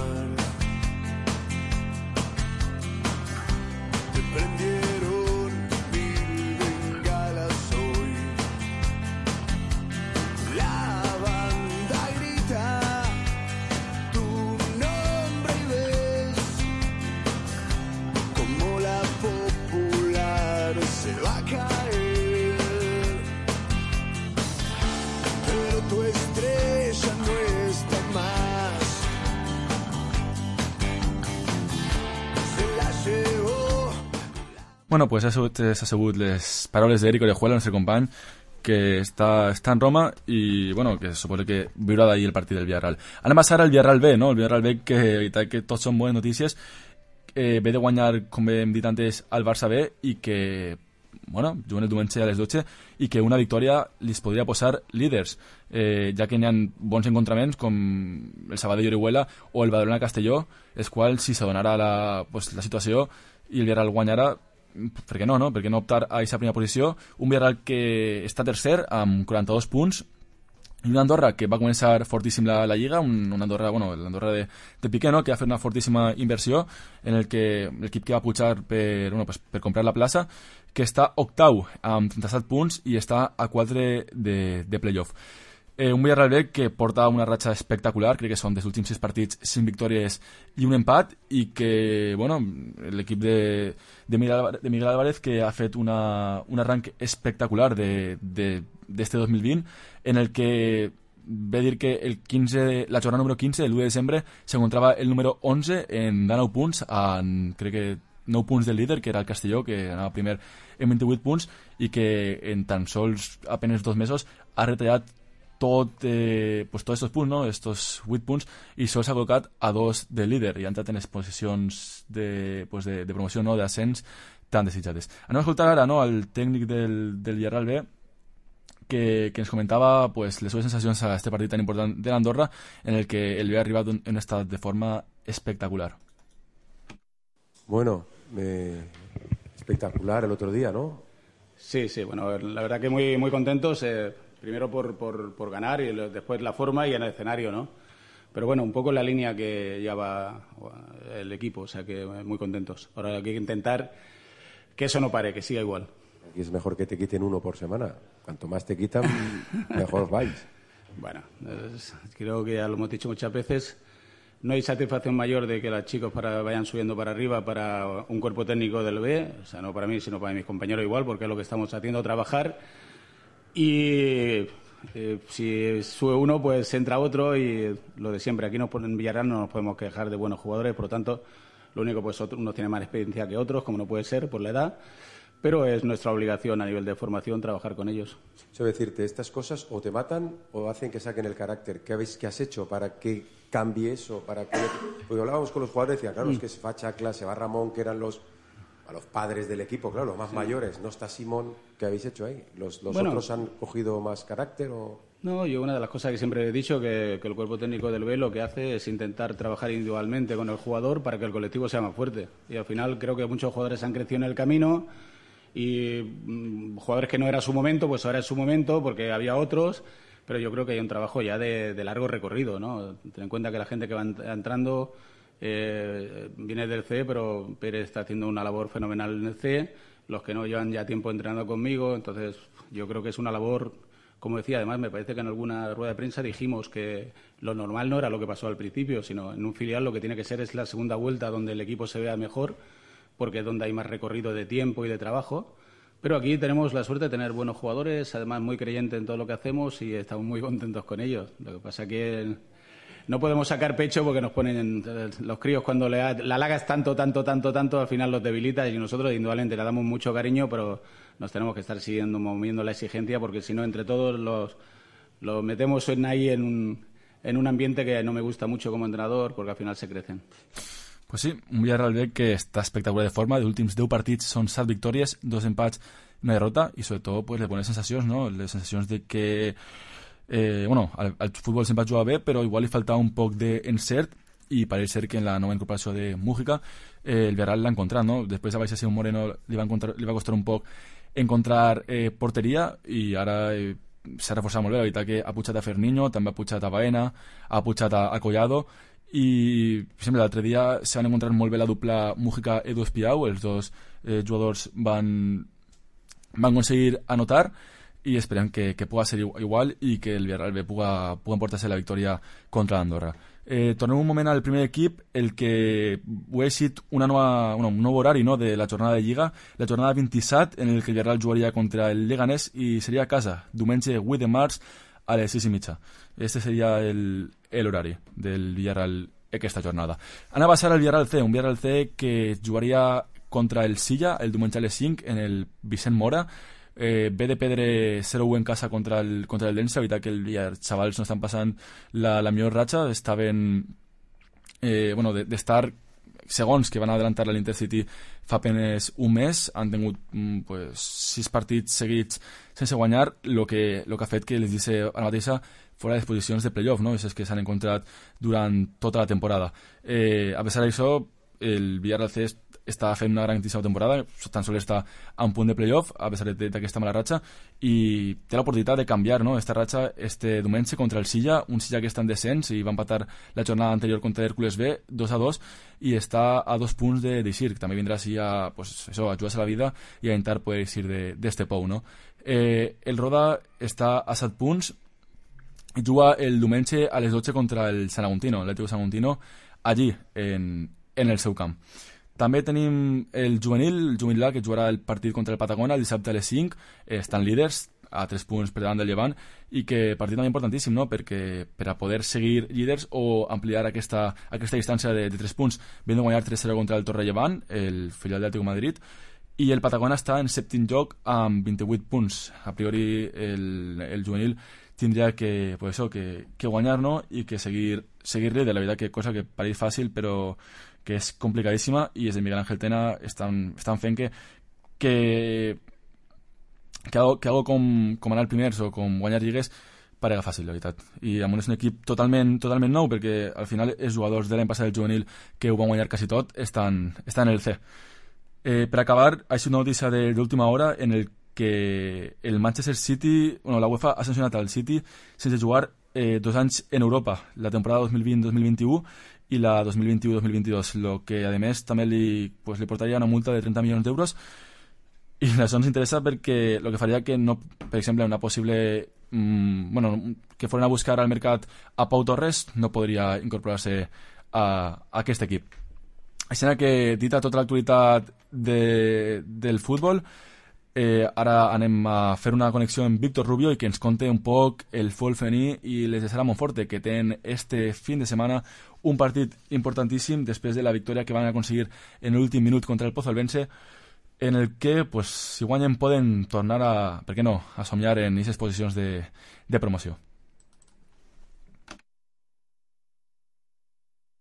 Te prendieron 1000 bengalas hoy. La banda grita tu nombre y ves como la popular se va a caer. Pero tu estrella no está más. Se la llevó. Bueno, pues s'ha sabut les paraules d'Eric Orejuela, el nostre company, que està en Roma i, bueno, que suposa que viurà d'ahir el partit del Villarreal. Anem a passar al Villarreal B, no? El Villarreal B, que tots són bones notícies. ve de guanyar, com hem dit antes, al Barça B i que, bueno, juguen el diumenge a les 12 i que una victòria li podria posar líders, ja que n'hi ha bons encontraments com el Sabadell Orihuela o el Badalona Castelló, els quals si s'adonarà la situació i el Villarreal guanyarà, per què no? Per què no optar a aquesta primera posició? Un Villarreal que està tercer amb 42 punts i una Andorra que va començar fortíssim la Lliga, una Andorra, l'Andorra de Piqué, no? Que ha fet una fortíssima inversió en el que l'equip que va pujar per comprar la plaça, que està octau amb 37 punts i està a 4 de playoff. Un Villarreal B que porta una ratxa espectacular, crec que són dels últims 6 partits 5 victòries i un empat, i que, l'equip de Miguel Álvarez que ha fet un arranc espectacular d'este 2020, en el que ve dir que la jornada número 15, el 1 de desembre, s'encontrava el número 11 en 9 punts, crec que 9 punts del líder, que era el Castelló, que anava primer en 28 punts, i que en tan sols apenas 2 mesos ha retallat tots estos punts, no? Estos 8 punts, i sols s'ha col·locat a 2 del líder i ha entrat en les posicions de promoció, no? D'ascens tan desitjades. Anem a escoltar ara, no? El tècnic del Villarreal B que ens comentava les seves sensacions a este partit tan important de l'Andorra, en el que el ve arribat en un estat de forma espectacular. Bueno, espectacular el otro día, ¿no? Sí, la verdad que muy, muy contentos. Primero por ganar y después la forma y en el escenario, ¿no? Pero bueno, un poco en la línea que lleva el equipo, o sea que muy contentos. Ahora hay que intentar que eso no pare, que siga igual. Aquí es mejor que te quiten uno por semana. Cuanto más te quitan, mejor vais. Bueno, creo que ya lo hemos dicho muchas veces. No hay satisfacción mayor de que los chicos vayan subiendo para arriba para un cuerpo técnico del B, o sea, no para mí, sino para mis compañeros igual, porque es lo que estamos haciendo, trabajar. Y si sube uno, pues entra otro, y lo de siempre. Aquí en Villarreal no nos podemos quejar de buenos jugadores, por lo tanto, lo único, pues unos tienen más experiencia que otros, como no puede ser por la edad, pero es nuestra obligación a nivel de formación trabajar con ellos. Yo decirte, estas cosas o te matan o hacen que saquen el carácter. ¿Qué has hecho para que cambie eso? Porque hablábamos con los jugadores y decían, claro, es que se va Chacla, se va Ramón, que eran a los padres del equipo, claro, los más mayores. No está Simón. ¿Qué habéis hecho ahí? ¿Los otros han cogido más carácter o...? No, yo una de las cosas que siempre he dicho, que el cuerpo técnico del B lo que hace es intentar trabajar individualmente con el jugador para que el colectivo sea más fuerte. Y al final creo que muchos jugadores han crecido en el camino, y jugadores que no era su momento, pues ahora es su momento porque había otros, pero yo creo que hay un trabajo ya de largo recorrido, ¿no? Ten en cuenta que la gente que va entrando viene del C, pero Pérez está haciendo una labor fenomenal en el C, los que no llevan ya tiempo entrenando conmigo, entonces yo creo que es una labor, como decía, además me parece que en alguna rueda de prensa dijimos que lo normal no era lo que pasó al principio, sino en un filial lo que tiene que ser es la segunda vuelta donde el equipo se vea mejor, porque es donde hay más recorrido de tiempo y de trabajo. Pero aquí tenemos la suerte de tener buenos jugadores, además muy creyentes en todo lo que hacemos, y estamos muy contentos con ellos. Lo que pasa es que no podemos sacar pecho porque nos ponen los críos, cuando la halagas tanto, al final los debilitas, y nosotros indudablemente le damos mucho cariño, pero nos tenemos que estar moviendo la exigencia, porque si no, entre todos los metemos ahí en un ambiente que no me gusta mucho como entrenador, porque al final se crecen. Pues sí, un Villarreal B que està espectacular de forma. Els últims 10 partits són 7 victòries, 2 empats, una derrota, i sobretot pues, les bones sensacions, no? Les sensacions de que al futbol sempre juga bé, però igual li faltava un poc d'encert, i pareix ser que en la nova incorporació de Mújica el Villarreal l'ha encontrat, no? Després a Baixa Simón Moreno li va costar un poc encontrar porteria, i ara s'ha reforçat molt bé. La veritat que ha pujat a Ferniño, també ha pujat a Baena, ha pujat a Collado, i per exemple l'altre dia s'han encontrat molt bé la dupla Mújica-Edu Espiau. Els dos jugadors van aconseguir anotar, i esperem que pugui ser igual i que el Villarreal B pugui emportar-se la victòria contra l'Andorra. Tornem un moment al primer equip, el que ho ha sigut un nou horari, no, de la jornada de Lliga, la jornada 27, en el que el Villarreal jugaria contra el Leganés i seria a casa, diumenge 8 de març a les 6:30. Este seria l'horari del Villarreal aquesta jornada. Anem a passar al Villarreal C, un Villarreal C que jugaria contra el Silla el diumenge a les 5 en el Vicent Mora. Ve de perdre 0-1 en casa contra el Dense. La veritat que els xavals no estan passant la millor ratxa, estaven d'estar segons que van adelantar l'Intercity fa apenes un mes, han tingut 6 partits seguits sense guanyar, el que ha fet que les deixi ara mateixa fora de les posicions de playoff, no? És que s'han encontrat durant tota la temporada. A pesar d'això, el Villarreal C està fent una grandíssima temporada, tan sols està a un punt de playoff, a pesar d'aquesta mala ratxa, i té l'oportunitat de canviar, no?, esta ratxa este diumenge contra el Silla, un Silla que està en descens i va empatar la jornada anterior contra Hércules B 2-2, i està a 2 punts d'eixir, que també vindrà així a jugar-se la vida i a intentar poder eixir d'este pou, no? El Roda està a 7 punts i juga el diumenge a les 12 contra el San Agustino, l'Atlético San Agustino, allí, en el seu camp. També tenim el juvenil A, que jugarà el partit contra el Patagona el dissabte a les 5, estan líders a 3 punts per davant del Llevant, i que partit també importantíssim, no?, perquè per a poder seguir líders o ampliar aquesta distància de 3 punts, ven de guanyar 3-0 contra el Torrellevant, el filial d'Atlético Madrid, i el Patagona està en 7è lloc amb 28 punts. A priori el juvenil tindria que guanyar, no?, i que seguir-li, de la veritat que cosa que pareix fàcil però que és complicadíssima, i és de Miguel Ángel Tena estan fent que algo com anar primers o com guanyar lligues parega fàcil, la veritat. I amb un equip totalment nou, perquè al final els jugadors de l'any passat del juvenil que ho van guanyar quasi tot estan en el C. Per acabar, ha sigut una notícia d'última hora en el que el Manchester City, la UEFA ha sancionat al City sense jugar 2 anys en Europa, la temporada 2020-2021 i la 2021-2022, el que a més també li portaria una multa de 30 milions d'euros, i això ens interessa perquè el que faria que no, per exemple, una possible que foren a buscar al mercat a Pau Torres no podria incorporar-se a aquest equip. Així que, dita tota l'actualitat del futbol, ara anem a fer una connexió amb Víctor Rubio i que ens conte un poc el futbol femení i les de Sara Monforte, que tenen este fin de setmana un partit importantíssim després de la victòria que van aconseguir en l'últim minut contra el Pozolvense, en el que, si guanyen, poden tornar a, per què no, a somiar en aquestes posicions de promoció.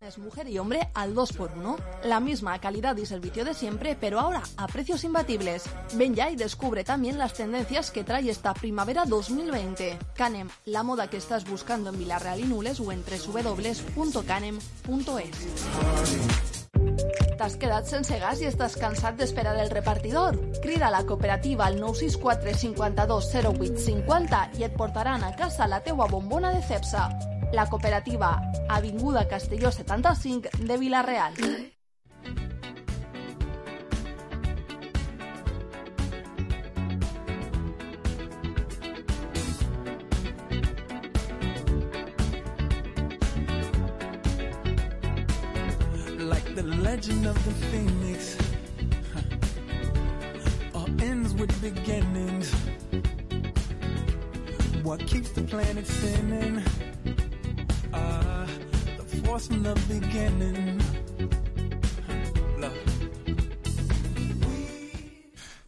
Es mujer y hombre al 2x1. La misma calidad y servicio de siempre, pero ahora a precios imbatibles. Ven ya y descubre también las tendencias que trae esta primavera 2020. Canem, la moda que estás buscando en Vilareal y Nules o en www.canem.es. T'has quedat sense gas i estàs cansat d'esperar el repartidor? Crida a la cooperativa al 964 52 08 50 i et portaran a casa la teua bombona de Cepsa. La cooperativa, Avinguda Castelló 75 de Vilareal. Like the legend of the phoenix, all ends with beginnings. What keeps the planet spinning? The force from the beginning.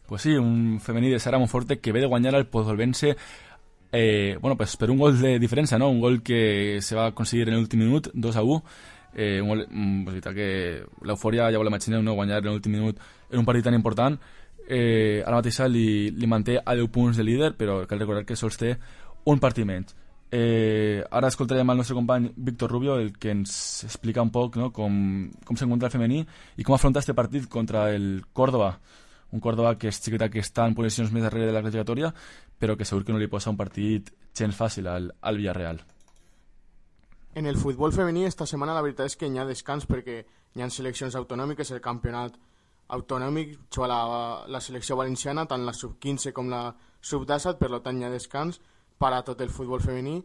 Pues sí, un femení de Sara Monforte que ve de guanyar al Pozolvense per un gol de diferència, no? Un gol que se va aconseguir en l'últim minut, 2-1. Un gol, veritat que l'eufòria ja ho l'imagineu, no? Guanyar en l'últim minut en un partit tan important. Ara mateix li manté a 10 punts de líder, però cal recordar que sols té un partit menys. Ara escoltarem el nostre company Víctor Rubio, el que ens explica un poc, no? com s'encontra el femení i com afronta este partit contra el Córdoba, un Córdoba que és xiqueta, que està en posicions més darrere de la classificatòria, però que segur que no li posa un partit gens fàcil al Villarreal. En el futbol femení esta setmana la veritat és que hi ha descans perquè hi ha seleccions autonòmiques, el campionat autonòmic juga la selecció valenciana, tant la sub-15 com la sub-17, per tant hi ha descans per a tot el futbol femení,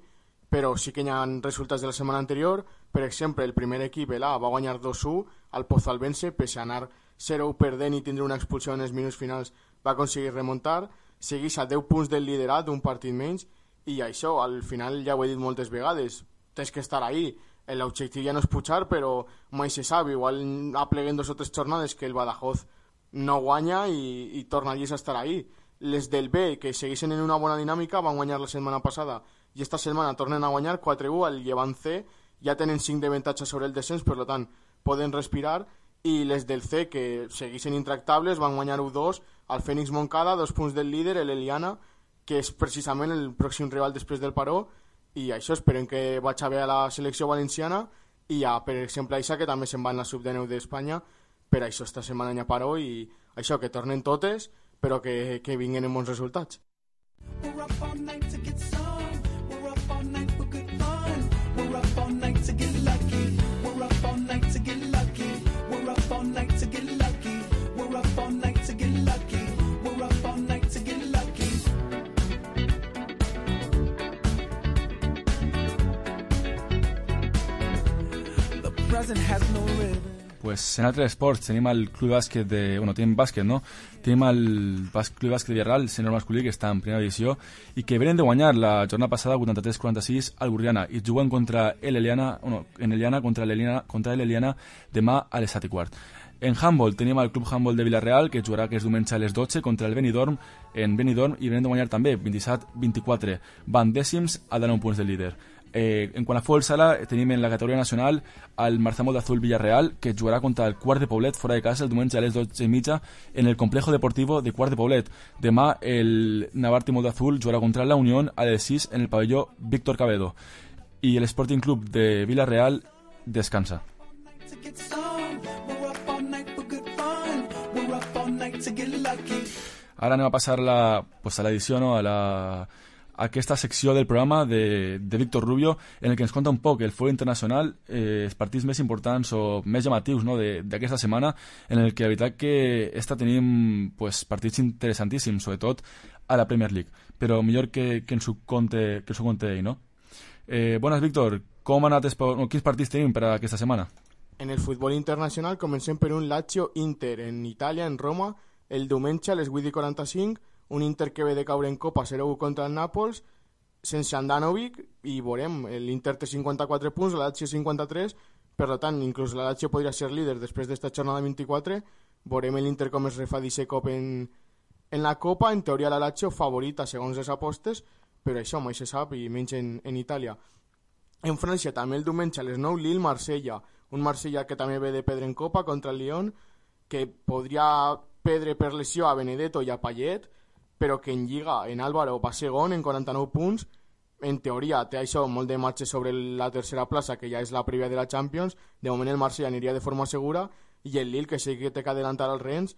però sí que hi ha resultats de la setmana anterior. Per exemple, el primer equip, l'A, va guanyar 2-1 al Pozolvense, pese a anar 0 perdent i tindre una expulsió en els minuts finals, va aconseguir remuntar, segueix a 10 punts del liderat, un partit menys, i això, al final ja ho he dit moltes vegades, tens que estar ahí. L'objectiu ja no és pujar, però mai se sap, igual apleguen 2 o 3 jornades que el Badajoz no guanya i torna a estar ahí. Les del B, que segueixen en una bona dinàmica, van guanyar la setmana passada i esta setmana tornen a guanyar 4-1 al Llevant C, ja tenen 5 d'avantatge sobre el descens, per tant poden respirar, i les del C, que segueixen intractables, van guanyar 1-2 al Fènix Montcada, 2 punts del líder, l'Eliana, que és precisament el pròxim rival després del Paró, i això esperem que vagi bé a la selecció valenciana, i ja, per exemple, això que també se'n va en la sub-19 d'Espanya, per això esta setmana hi ha Paró, i això, que tornen totes, però que vinguin en bons resultats. We're up all night to get some. We're up all night for good fun. We're up all night to get lucky. We're up all night to get lucky. We're up all night to get lucky. We're up all night to get lucky. We're up all night to get lucky. The present has no ribbon. Pues en altres esports tenim el club bàsquet tenim bàsquet, no? Tenim el club bàsquet de Villarreal, sènior masculí, que està en primera divisió i que venen de guanyar la jornada passada 83-46 al Burriana i juguen contra l'Eliana contra l'Eliana demà a les 7:15. En handball tenim el club handball de Villarreal, que jugarà aquest diumenge a les 12 contra el Benidorm en Benidorm, i venen de guanyar també 27-24. Van dècims a 9 punts del líder. En quant a futbol sala, tenim en la categoria nacional el Marzamo de Azul Villarreal, que jugarà contra el Quart de Poblet fora de casa el diumenge a les 12:30 en el complejo deportivo de Quart de Poblet. Demà el Navartimo de Azul jugarà contra la Unión a les 6 en el pavelló Víctor Cabedo. I el Sporting Club de Villarreal descansa. Ara anem a passar a l'edició, no? a aquesta secció del programa de Víctor Rubio, en el que ens conta un poc el futbol internacional, els partits més importants o més llamatius, no? d'aquesta setmana, en el que la veritat que tenim partits interessantíssims, sobretot a la Premier League, però millor que ens ho conte ell, no? Bones, Víctor, com han anat quins partits tenim per aquesta setmana? En el futbol internacional comencem per un Lazio-Inter en Itàlia, en Roma, el diumenge a les 8:45, un Inter que ve de caure en Copa 0-1 contra el Nàpols, sense Andanovic, i veurem, l'Inter té 54 punts, la Lazio 53, per tant, inclús la Lazio podria ser líder després d'esta jornada 24, veurem l'Inter com es refa d'aquest cop en la Copa, en teoria la Lazio favorita segons les apostes, però això mai se sap, i menys en Itàlia. En França també el diumenge a les 9, Lille-Marsella, un Marsella que també ve de perdre en Copa contra el Lyon, que podria perdre per lesió a Benedetto i a Payet, però que en Lliga, en Álvaro va segon en 49 punts, en teoria té això molt de marge sobre la tercera plaça, que ja és la prèvia de la Champions. De moment el Marsella aniria de forma segura, i el Lille, que sí que té que adelantar al Rennes,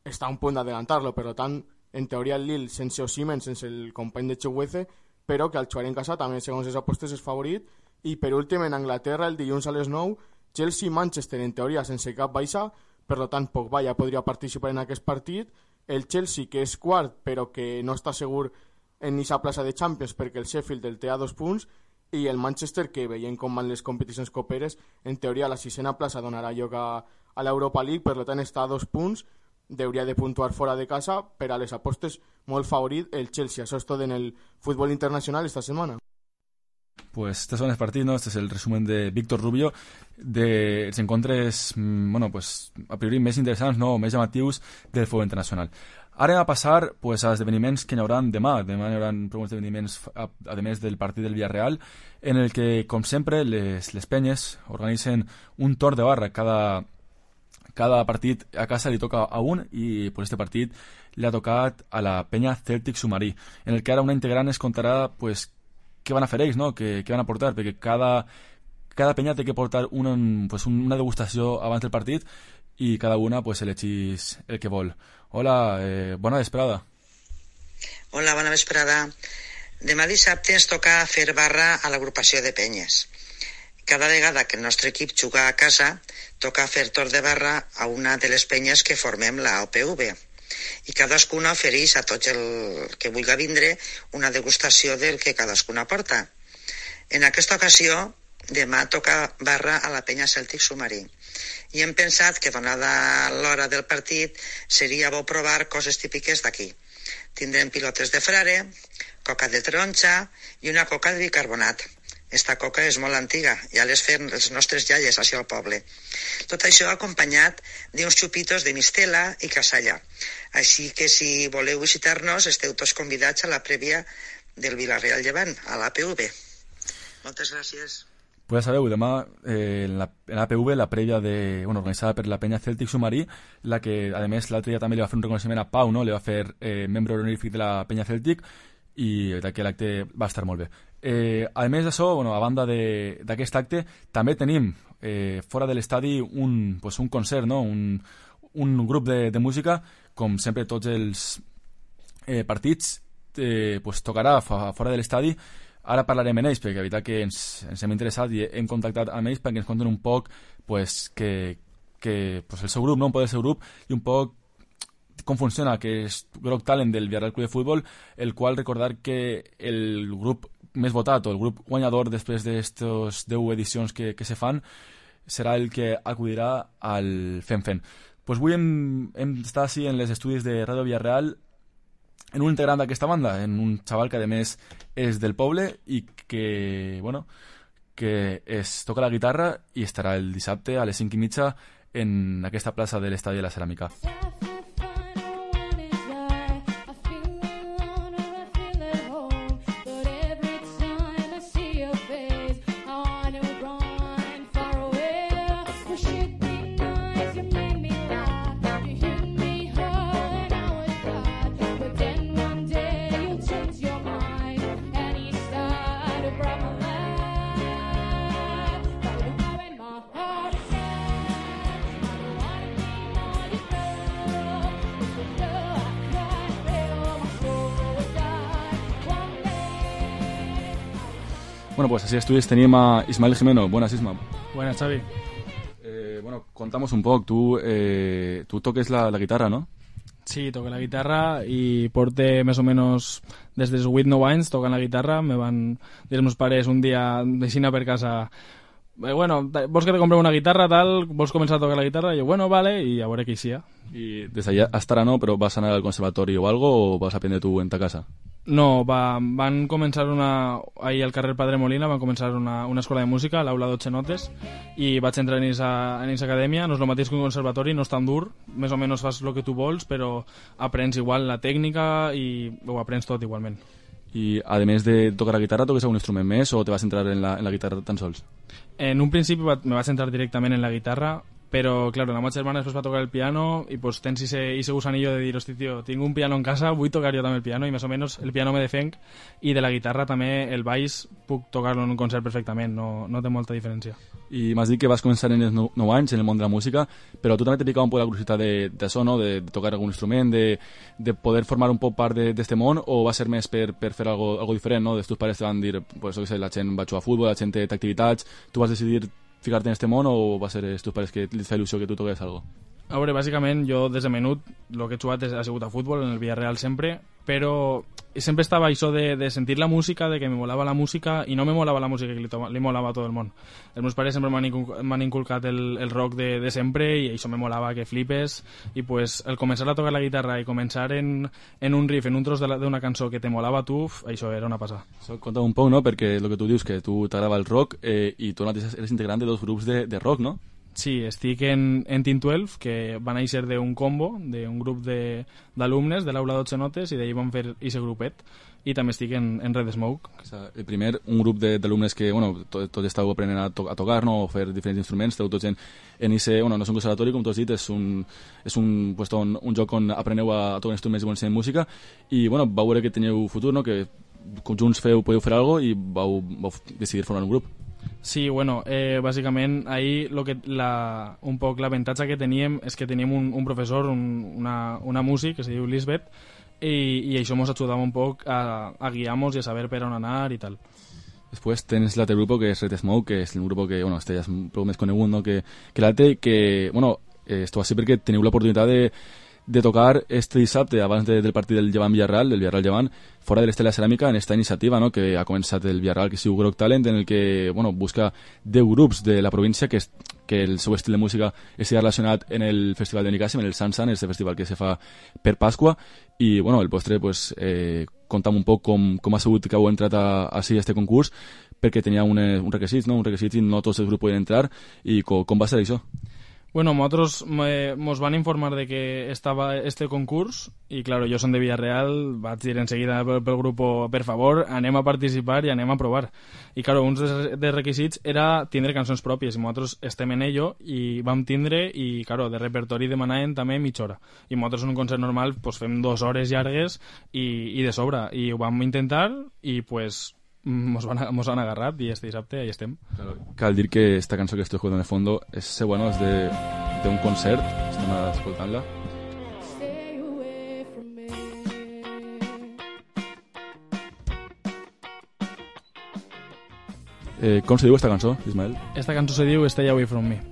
està a un punt d'adelantar-lo, per tant, en teoria el Lille sense Osimhen, sense el company de Chukwueze, però que al jugar en casa també segons les apostes és favorit. I per últim en Anglaterra el dilluns a les 9, Chelsea-Manchester en teoria sense cap baixa, per tant Pogba ja podria participar en aquest partit. El Chelsea, que és quart, però que no està segur en aquesta plaça de Champions perquè el Sheffield el té a 2 punts, i el Manchester, que veient com van les competicions coperes, en teoria la 6a plaça donarà lloc a l'Europa League, per tant està a 2 punts, hauria de puntuar fora de casa, per a les apostes molt favorit el Chelsea. Això és tot en el futbol internacional esta setmana. Pues estos son los partidos, ¿no? Este es el resumen de Víctor Rubio de els encontres, a priori més interessants, no? Més llamatius del futbol internacional. Ara anem a passar als esdeveniments que hi haurà demà. Demà hi haurà prou esdeveniments, a més del partit del Villarreal, en el que, com sempre, les penyes organitzen un torn de barra. Cada partit a casa li toca a un, i per este partit li ha tocat a la penya Celtic Submarí, en el que ara una integrant es contarà què van a fer ells, no? Què van a portar, perquè cada penya té que portar una degustació abans del partit, i cada una elegís el que vol. Hola, bona vesprada. Hola, bona vesprada. Demà dissabte ens toca fer barra a l'agrupació de penyes. Cada vegada que el nostre equip juga a casa, toca fer torn de barra a una de les penyes que formem la OPV. I cadascuna ofereix a tots el que vulgui vindre una degustació del que cadascuna porta. En aquesta ocasió, demà toca barra a la penya Celtic Submarí. I hem pensat que, donada l'hora del partit, seria bo provar coses típiques d'aquí. Tindrem pilotes de frare, coca de taronja i una coca de bicarbonat. Esta coca és molt antiga, ja les fem les nostres iaies així al poble. Tot això acompanyat d'uns xupitos de mistela i casalla. Així que si voleu visitar-nos, esteu tots convidats a la prèvia del Villarreal Llevant, a l'APV. Moltes gràcies. Pues ja sabeu, demà en l'APV, la prèvia organitzada per la penya Celtic Submarí, la que, a més, l'altre dia també li va fer un reconeixement a Pau, no? Li va fer membre honorífic de la penya Celtic, i d'aquest acte va estar molt bé. A més d'això, a banda d'aquest acte, també tenim fora de l'estadi un concert, no? Un grup de música, com sempre tots els partits, tocarà fora de l'estadi. Ara parlarem amb ells, perquè la veritat que ens hem interessat i hem contactat amb ells perquè ens conten un poc que el seu grup, no? Un poc del seu grup, i un poc com funciona, que és Groc Talent del Villarreal Club de Futbol, el qual recordar que el grup més votat o el grup guanyador després d'estes 10 edicions que se fan serà el que acudirà al FEM-FEM. Pues avui hem estat així en les estudis de Ràdio Villarreal en un integrant d'aquesta banda, en un xaval que a més és del poble i que es toca la guitarra i estarà el dissabte a les 5:30 en aquesta plaça de l'Estadi de la Ceràmica. Bueno, pues así estudis tenim a Ismael Jimeno. Buenas, Isma. Buenas, Xavi. Contamos un poc. Tú toques la guitarra, ¿no? Sí, toco la guitarra y porte més o menos des dels 8 o 9 anys tocant la guitarra. Me van dir els meus pares un dia d'aixina per casa, vols que te comprem una guitarra, tal, vols començar a tocar la guitarra? I jo, bueno, vale, i a veure què hi sia. I des d'allà hasta ara no, però vas anar al conservatori o algo, o vas aprendre tu en ta casa? No, van començar ahir al carrer Padre Molina, van començar una escola de música, l'aula 12 notes, i vaig entrar en aquesta acadèmia. No és el mateix que un conservatori, no és tan dur, més o menys fas el que tu vols, però aprens igual la tècnica i ho aprens tot igualment. I, a més de tocar la guitarra, toques algun instrument més o te vas entrar en la guitarra tan sols? En un principi me vaig entrar directament en la guitarra, però, claro, la meva germana després va tocar el piano i pues, tens ese gusanillo de dir, hosti, tio, tinc un piano en casa, vull tocar jo també el piano, i més o menys el piano me defenc, i de la guitarra també el baix puc tocar-lo en un concert perfectament, no té molta diferència. I m'has dit que vas començar en els 9 anys en el món de la música, però tu també t'he picat un poc la curiositat d'això, no? De tocar algun instrument, de poder formar un poc part d'aquest món, o va ser més per fer algo diferent, no? Els teus pares te van dir, pues, la gent va jugar a futbol, la gent té activitats, tu vas decidir ficar-te en este món, o va ser els teus pares que et fa il·lusió que tu toques algo? A veure, bàsicament, jo des de menut el que he jugat ha sigut a futbol, en el Villarreal sempre, però sempre estava això de sentir la música, de que me molava la música, i no me molava la música que li molava a tot el món. Els meus pares sempre m'han inculcat el rock de sempre, i això me molava que flipes, i pues el començar a tocar la guitarra i començar en un riff, en un tros d'una cançó que te molava a tu, això era una passada. Conta'm un poc, no?, perquè el que tu dius, que tu t'agrada el rock, i tu eres integrant de 2 grups de rock, no? Sí, estic en Team 12, que va néixer d'un combo, d'un grup d'alumnes de l'aula 12 notes, i d'ahir vam fer aquest grupet, i també estic en Red Smoke. El primer, un grup d'alumnes que tots estàu aprenent a tocar, no?, o fer diferents instruments, esteu tots en ese, no és un conservatori, com tu has dit, és un joc on apreneu a tocar instruments i ensenyar música, i vau veure que teniu futur, no?, que junts podeu fer alguna cosa, i vau decidir formar un grup. Sí, bàsicament ahir un poc l'avantatge que teníem és que teníem un professor, una músic que se diu Lisbeth, i això ens ajudava un poc a guiar-nos i a saber per on anar i tal. Després tens l'altre grup que és Red Smoke, que és un grup que este ja és prou més conegut, no?, que l'altre, que esteu així perquè teniu l'oportunitat de tocar este dissabte abans del partit del Llevant Villarreal, del Villarreal Llevant, fora de l'Estela Ceràmica, en esta iniciativa, no?, que ha començat el Villarreal, que es diu Groc Talent, en el que busca 10 grups de la província que el seu estil de música estigui relacionat en el Festival de Nicàssim, en el Sansan, este festival que se fa per Pasqua, i el vostre, conta'm un poc com ha sigut que heu entrat a este concurs, perquè tenia un requisit, no?, un requisit i no tots els grups poden entrar, i com va ser això? Bueno, nosotros nos van a informar de que estaba este concurs y claro, yo son de Villarreal, vaig dir enseguida pel grupo, per favor, anem a participar i anem a provar. I claro, un dels requisits era tindre cançons pròpies i nosaltres estem en ello i vam tindre i claro, de repertori demanaven també mitja hora. I nosaltres en un concert normal pues, fem 2 hores llargues i de sobre. I ho vam intentar i pues mos han agarrat i este dissabte ahí estem. Claro, cal dir que esta cançó que estoy jugando en el fondo es bueno, es de un concert, estem escoltant-la. Com se diu esta cançó, Ismael? Esta cançó se diu Stay Away From Me.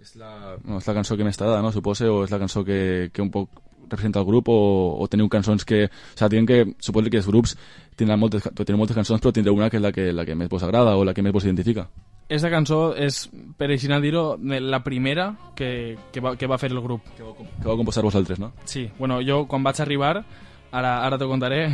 És la cançó que més t'agrada, no? Supose, o és la cançó que un poc representa el grup o teniu cançons que... O sigui, diuen que suposo que els grups tenen moltes cançons però tindreu una que és la que més vos agrada o la que més vos identifica. Esta cançó és, per així dir-ho, la primera que va fer el grup. Que vau composar vosaltres, no? Sí, bueno, jo quan vaig arribar, ara t'ho contaré.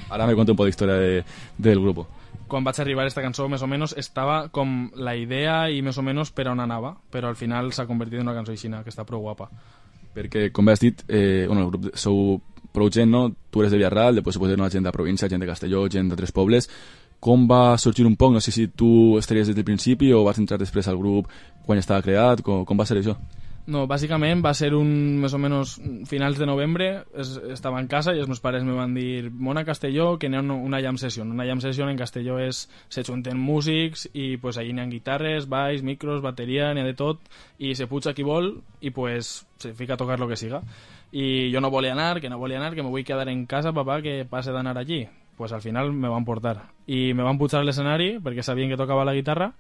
Ara me conta un poc d'història del grup. Quan vaig arribar esta cançó, més o menys, estava com la idea i més o menys per on anava, però al final s'ha convertit en una cançó aixina, que està prou guapa. Perquè, com has dit, el grup sou prou gent, no? Tu eres de Villarreal, després suposo una gent de província, gent de Castelló, gent d'altres pobles. Com va sorgir un poc? No sé si tu estaries des del principi o vas entrar després al grup quan estava creat, com va ser això? No, bàsicament va ser més o menys finals de novembre, estava en casa i els meus pares me van dir mona a Castelló que n'hi ha una jam session. Una jam session en Castelló se junten músics i pues allí n'hi ha guitarres, baix, micros, bateria, n'hi ha de tot i se puja qui vol i pues se fica a tocar lo que siga. I jo no volia anar, que me vull quedar en casa, papà, que passe d'anar allí. Pues al final me van portar i me van pujar a l'escenari perquè sabien que tocava la guitarra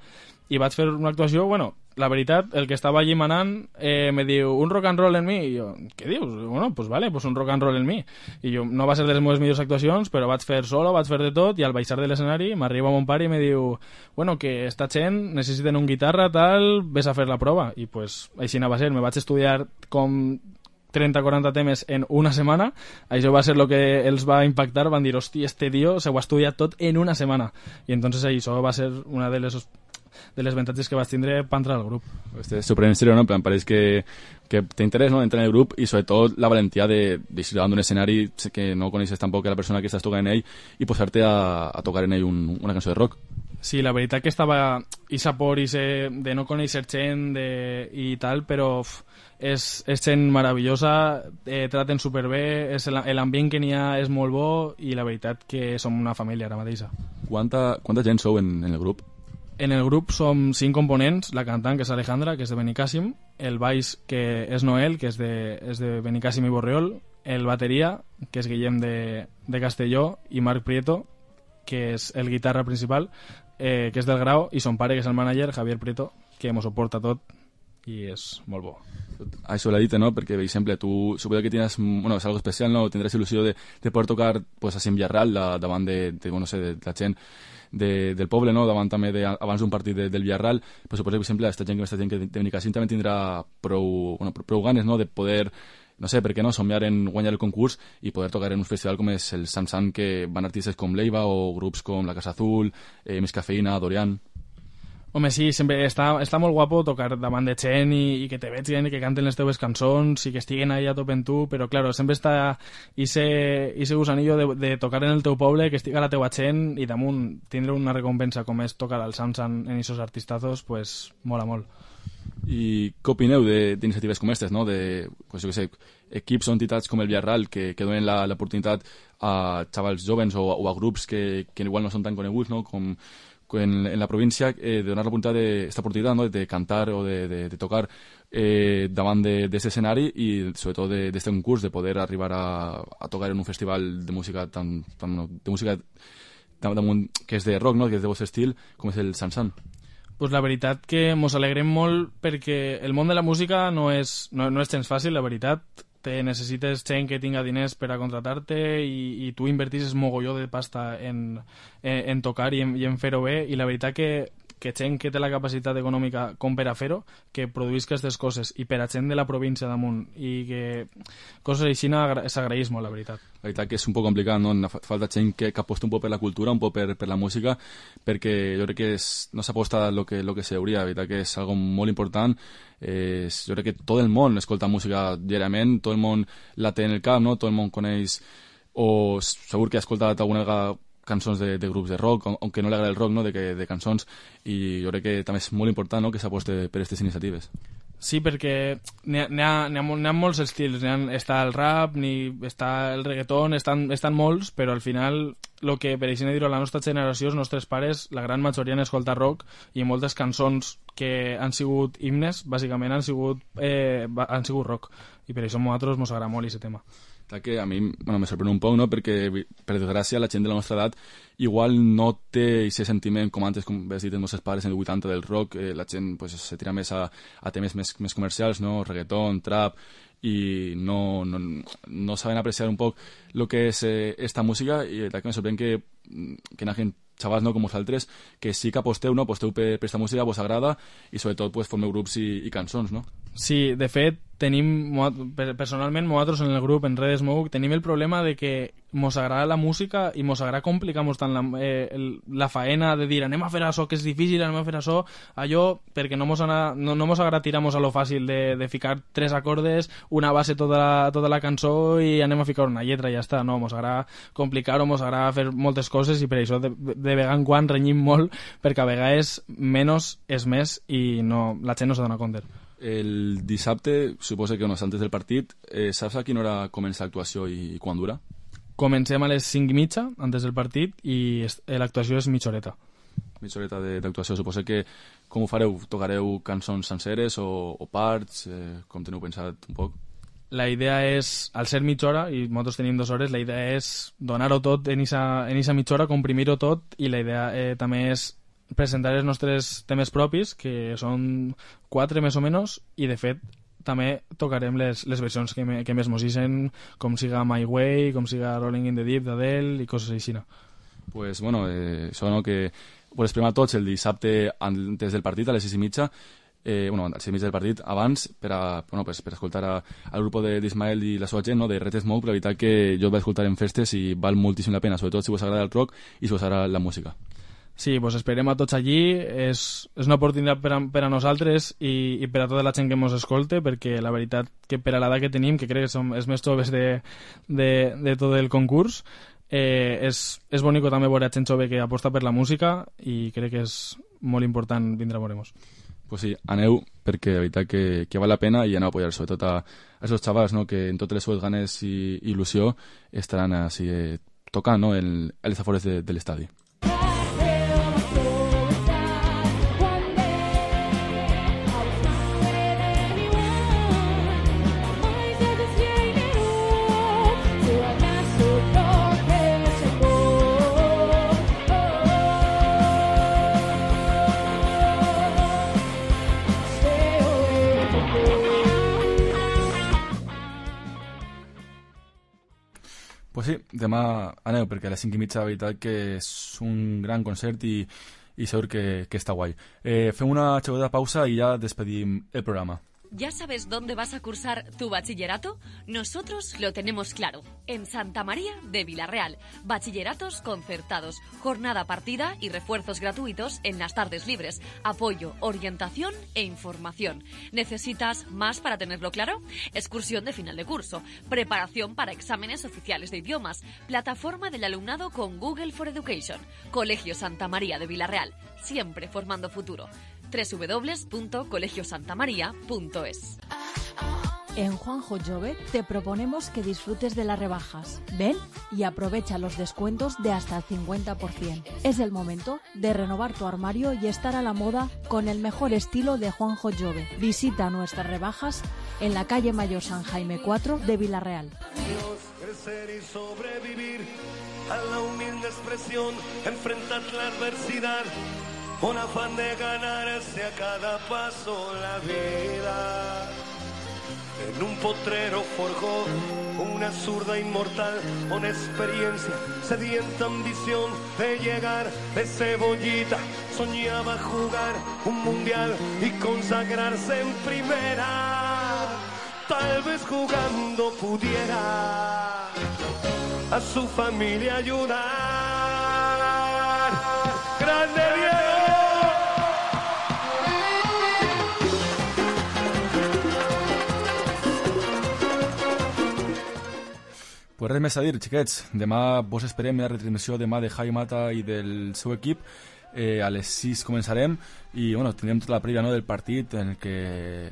i vaig fer una actuació, bueno, la veritat, el que estava allí manant me diu, un rock and roll en mi, i jo, què dius? Bueno, pues vale, pues un rock and roll en mi, i jo, no va ser de les meves millors actuacions, però vaig fer solo, vaig fer de tot, i al baixar de l'escenari m'arriba mon pare i me diu, bueno, que esta gent necessiten un guitarra, tal, ves a fer la prova, i pues així va ser, me vaig estudiar com 30-40 temes en una setmana, això va ser el que els va impactar, van dir, hosti, este tio se ho ha estudiat tot en una setmana, i entonces això va ser una de les avantatges que vaig tindre per entrar al grup. És sorprenent, no? En plan, pareix que té interès, no?, d'entrar en el grup i sobretot la valentia de deixar davant d'un escenari que no coneixes tampoc la persona que estàs tocant en ell i posar-te a tocar en ell una cançó de rock. Sí, la veritat que estava esa por de no conèixer gent i tal, però és gent meravellosa, traten superbé, l'ambient que n'hi ha és molt bo i la veritat que som una família ara mateixa. Quanta gent sou en el grup? En el grup som 5 components, la cantant, que és Alejandra, que és de Benicàssim, el baix, que és Noel, que és de Benicàssim i Borriol, el bateria, que és Guillem de Castelló, i Marc Prieto, que és el guitarra principal, que és del Grau, i son pare, que és el manager, Javier Prieto, que m'ho suporta tot i és molt bo. Això l'ha dit, no? Perquè, per exemple, tu suposo que tienes, bueno, és algo especial, no? Tindràs il·lusió de poder tocar pues, a Villarreal davant de la gent del poble, no? Davant també abans d'un partit del Villarreal, però suposo que, per exemple, aquesta gent que de Benicàssim també tindrà prou ganes, no?, de poder, no sé, per què no, somiar en guanyar el concurs i poder tocar en un festival com és el Sansan, que van artistes com Leiva o grups com La Casa Azul, Més Cafeïna, Dorian. Home, sí, sempre està molt guapo tocar davant de gent i que te vegin i que canten les teves cançons i que estiguen ahí a top en tu, però, claro, sempre està ese gusanillo de tocar en el teu poble, que estiga la teua gent i damunt tindre una recompensa com és tocar al Samsung en esos artistazos, pues mola molt. I què opineu d'iniciatives com aquestes, no? Pues, jo què sé, equips o entitats com el Villarreal que donen l'oportunitat a xavals jovens o a grups que igual no són tan coneguts, no?, com en la província, de donar esta oportunitat, ¿no?, de cantar o de tocar davant d'aquest escenari i sobretot d'aquest concurs, de poder arribar a tocar en un festival de música de música que és de rock, no?, que és de vostre estil, com és el Sansan. Pues la veritat que mos alegrem molt perquè el món de la música no és gens fàcil, la veritat. Necessites gent que tinga diners per a contratar-te i tu invertisses mogolló de pasta en tocar i en fer-ho bé, i la veritat que gent que té la capacitat econòmica com per a fer-ho, que produïsca aquestes coses, i per a gent de la província damunt, i que coses així s'agraeix molt, la veritat. La veritat que és un poc complicat, no? Falta gent que aposta un poc per la cultura, un poc per la música, perquè jo crec que no s'aposta el que s'hauria, la veritat que és algo molt important, jo crec que tot el món escolta música diàriament, tot el món la té en el cap, no? Tot el món coneix, o segur que ha escoltat alguna vegada cançons de grups de rock, aunque no li agrada el rock, no? de cançons, i jo crec que també és molt important, no? que s'aposte per aquestes iniciatives. Sí, perquè n'hi ha molts estils. Està el rap, està el reggaeton, estan molts, però al final el que, per exemple, dir-ho, la nostra generació, els nostres pares, la gran majoria han escoltat rock, i moltes cançons que han sigut himnes, bàsicament han sigut rock, i per això a nosaltres ens agrada molt aquest tema. Que a mi me sorprèn un poc, no? Perquè per desgràcia la gent de la nostra edat igual no té aquest sentiment com antes, com has dit els nostres pares en el 80 del rock, la gent pues, se tira més a temes més comercials, no? Reggaeton, trap, i no saben apreciar un poc el que és esta música, i que me sorprèn que hi ha gent, xavals, no, com vosaltres, que sí que aposteu per aquesta música, vos agrada, i sobretot pues, formeu grups i cançons, no? Sí, de fet, personalment, nosaltres en el grup, en Red Smoke, tenim el problema de que mos agrada la música i mos agrada complicar-nos tant la faena de dir anem a fer això que és difícil, anem a fer això, allò, perquè no mos agrada tirar-nos a lo fàcil de ficar 3 acordes, una base tota la cançó i anem a ficar una lletra i ja està. No, mos agrada complicar-ho, mos agrada fer moltes coses, i per això de vegades en quan renyim molt, perquè a vegades menys és més i la gent no s'adona compte. El dissabte, suposo que antes del partit, saps a quina hora comença l'actuació i quan dura? Comencem a les 5:30 antes del partit, i l'actuació és mitja horeta. Mitja horeta d'actuació. Suposo que, com ho fareu? Tocareu cançons senceres o parts? Com teniu pensat un poc? La idea és, al ser mitja hora, i nosaltres tenim 2 hores, la idea és donar-ho tot en aquesta mitja hora, comprimir-ho tot, i la idea també és presentar els nostres temes propis, que són 4 més o menys, i de fet també tocarem les versions que més mos ixen, com siga My Way, com siga Rolling in the Deep d'Adele i coses així. Pues bueno, això no, que ho esperem a tots el dissabte antes del partit, a les 6:30, a les 6:30 del partit, abans, per escoltar al grup d'Ismael i la seva gent, no, de Red Smoke. La veritat que jo el vaig escoltar en festes i val moltíssim la pena, sobretot si us agrada el rock i si us agrada la música. Sí, pues esperem a tots allí. És una oportunitat per a nosaltres i per a tota la gent que ens escolte, perquè la veritat que per a l'edat que tenim, que crec que som els més joves de tot el concurs, és bonic també veure gent jove que aposta per la música, i crec que és molt important vindre a veure-nos. Pues sí, aneu, perquè la veritat que val la pena, i aneu a apoyar sobretot a aquests xavals, no, que en totes les seves ganes i il·lusió estaran així, tocant, no, en els afores de l'estadi. Pues sí, demà aneu, perquè a les 5:30 la veritat que és un gran concert i segur que està guai. Fem una xerrada pausa i ja despedim el programa. ¿Ya sabes dónde vas a cursar tu bachillerato? Nosotros lo tenemos claro. En Santa María de Vilarreal. Bachilleratos concertados, jornada partida y refuerzos gratuitos en las tardes libres. Apoyo, orientación e información. ¿Necesitas más para tenerlo claro? Excursión de final de curso. Preparación para exámenes oficiales de idiomas. Plataforma del alumnado con Google for Education. Colegio Santa María de Vilarreal. Siempre formando futuro. www.colegiosantamaria.es. En Juanjo Jove te proponemos que disfrutes de las rebajas. Ven y aprovecha los descuentos de hasta el 50%. Es el momento de renovar tu armario y estar a la moda con el mejor estilo de Juanjo Jove. Visita nuestras rebajas en la calle Mayor San Jaime 4 de Vilarreal. Crecer y sobrevivir a la humilde expresión, enfrentar la adversidad. Un afán de ganarse a cada paso la vida. En un potrero forjó una zurda inmortal, una experiencia, sedienta ambición de llegar de cebollita. Soñaba jugar un mundial y consagrarse en primera. Tal vez jugando pudiera a su familia ayudar. ¡Grande Diego! Pues res més a dir, xiquets. Demà vos esperem la retransmissió demà de Jai Mata i del seu equip. A les 6 començarem i bueno, tindrem tota la prèvia, no, del partit en el que,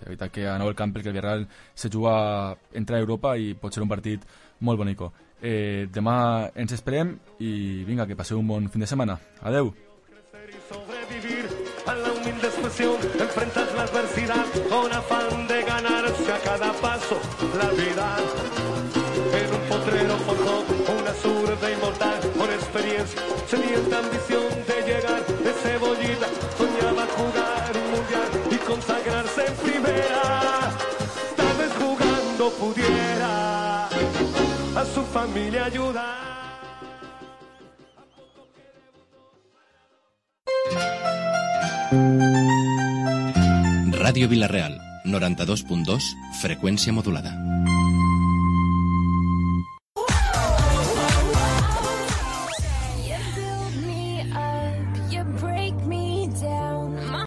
veritat que a Nou el Camp, que el Villarreal se juga a entrar a Europa i pot ser un partit molt bonico. Demà ens esperem i vinga, que passeu un bon fin de setmana. Adeu. A la humilde expresión enfrentas la adversidad con afán de ganarse a cada paso la vida. En un potrero forjó una zurda inmortal con experiencia, sedienta ambición de llegar de cebollita, soñaba jugar un mundial y consagrarse en primera. Tal vez jugando pudiera a su familia ayudar. Ràdio Vila-real, 92.2, freqüència modulada.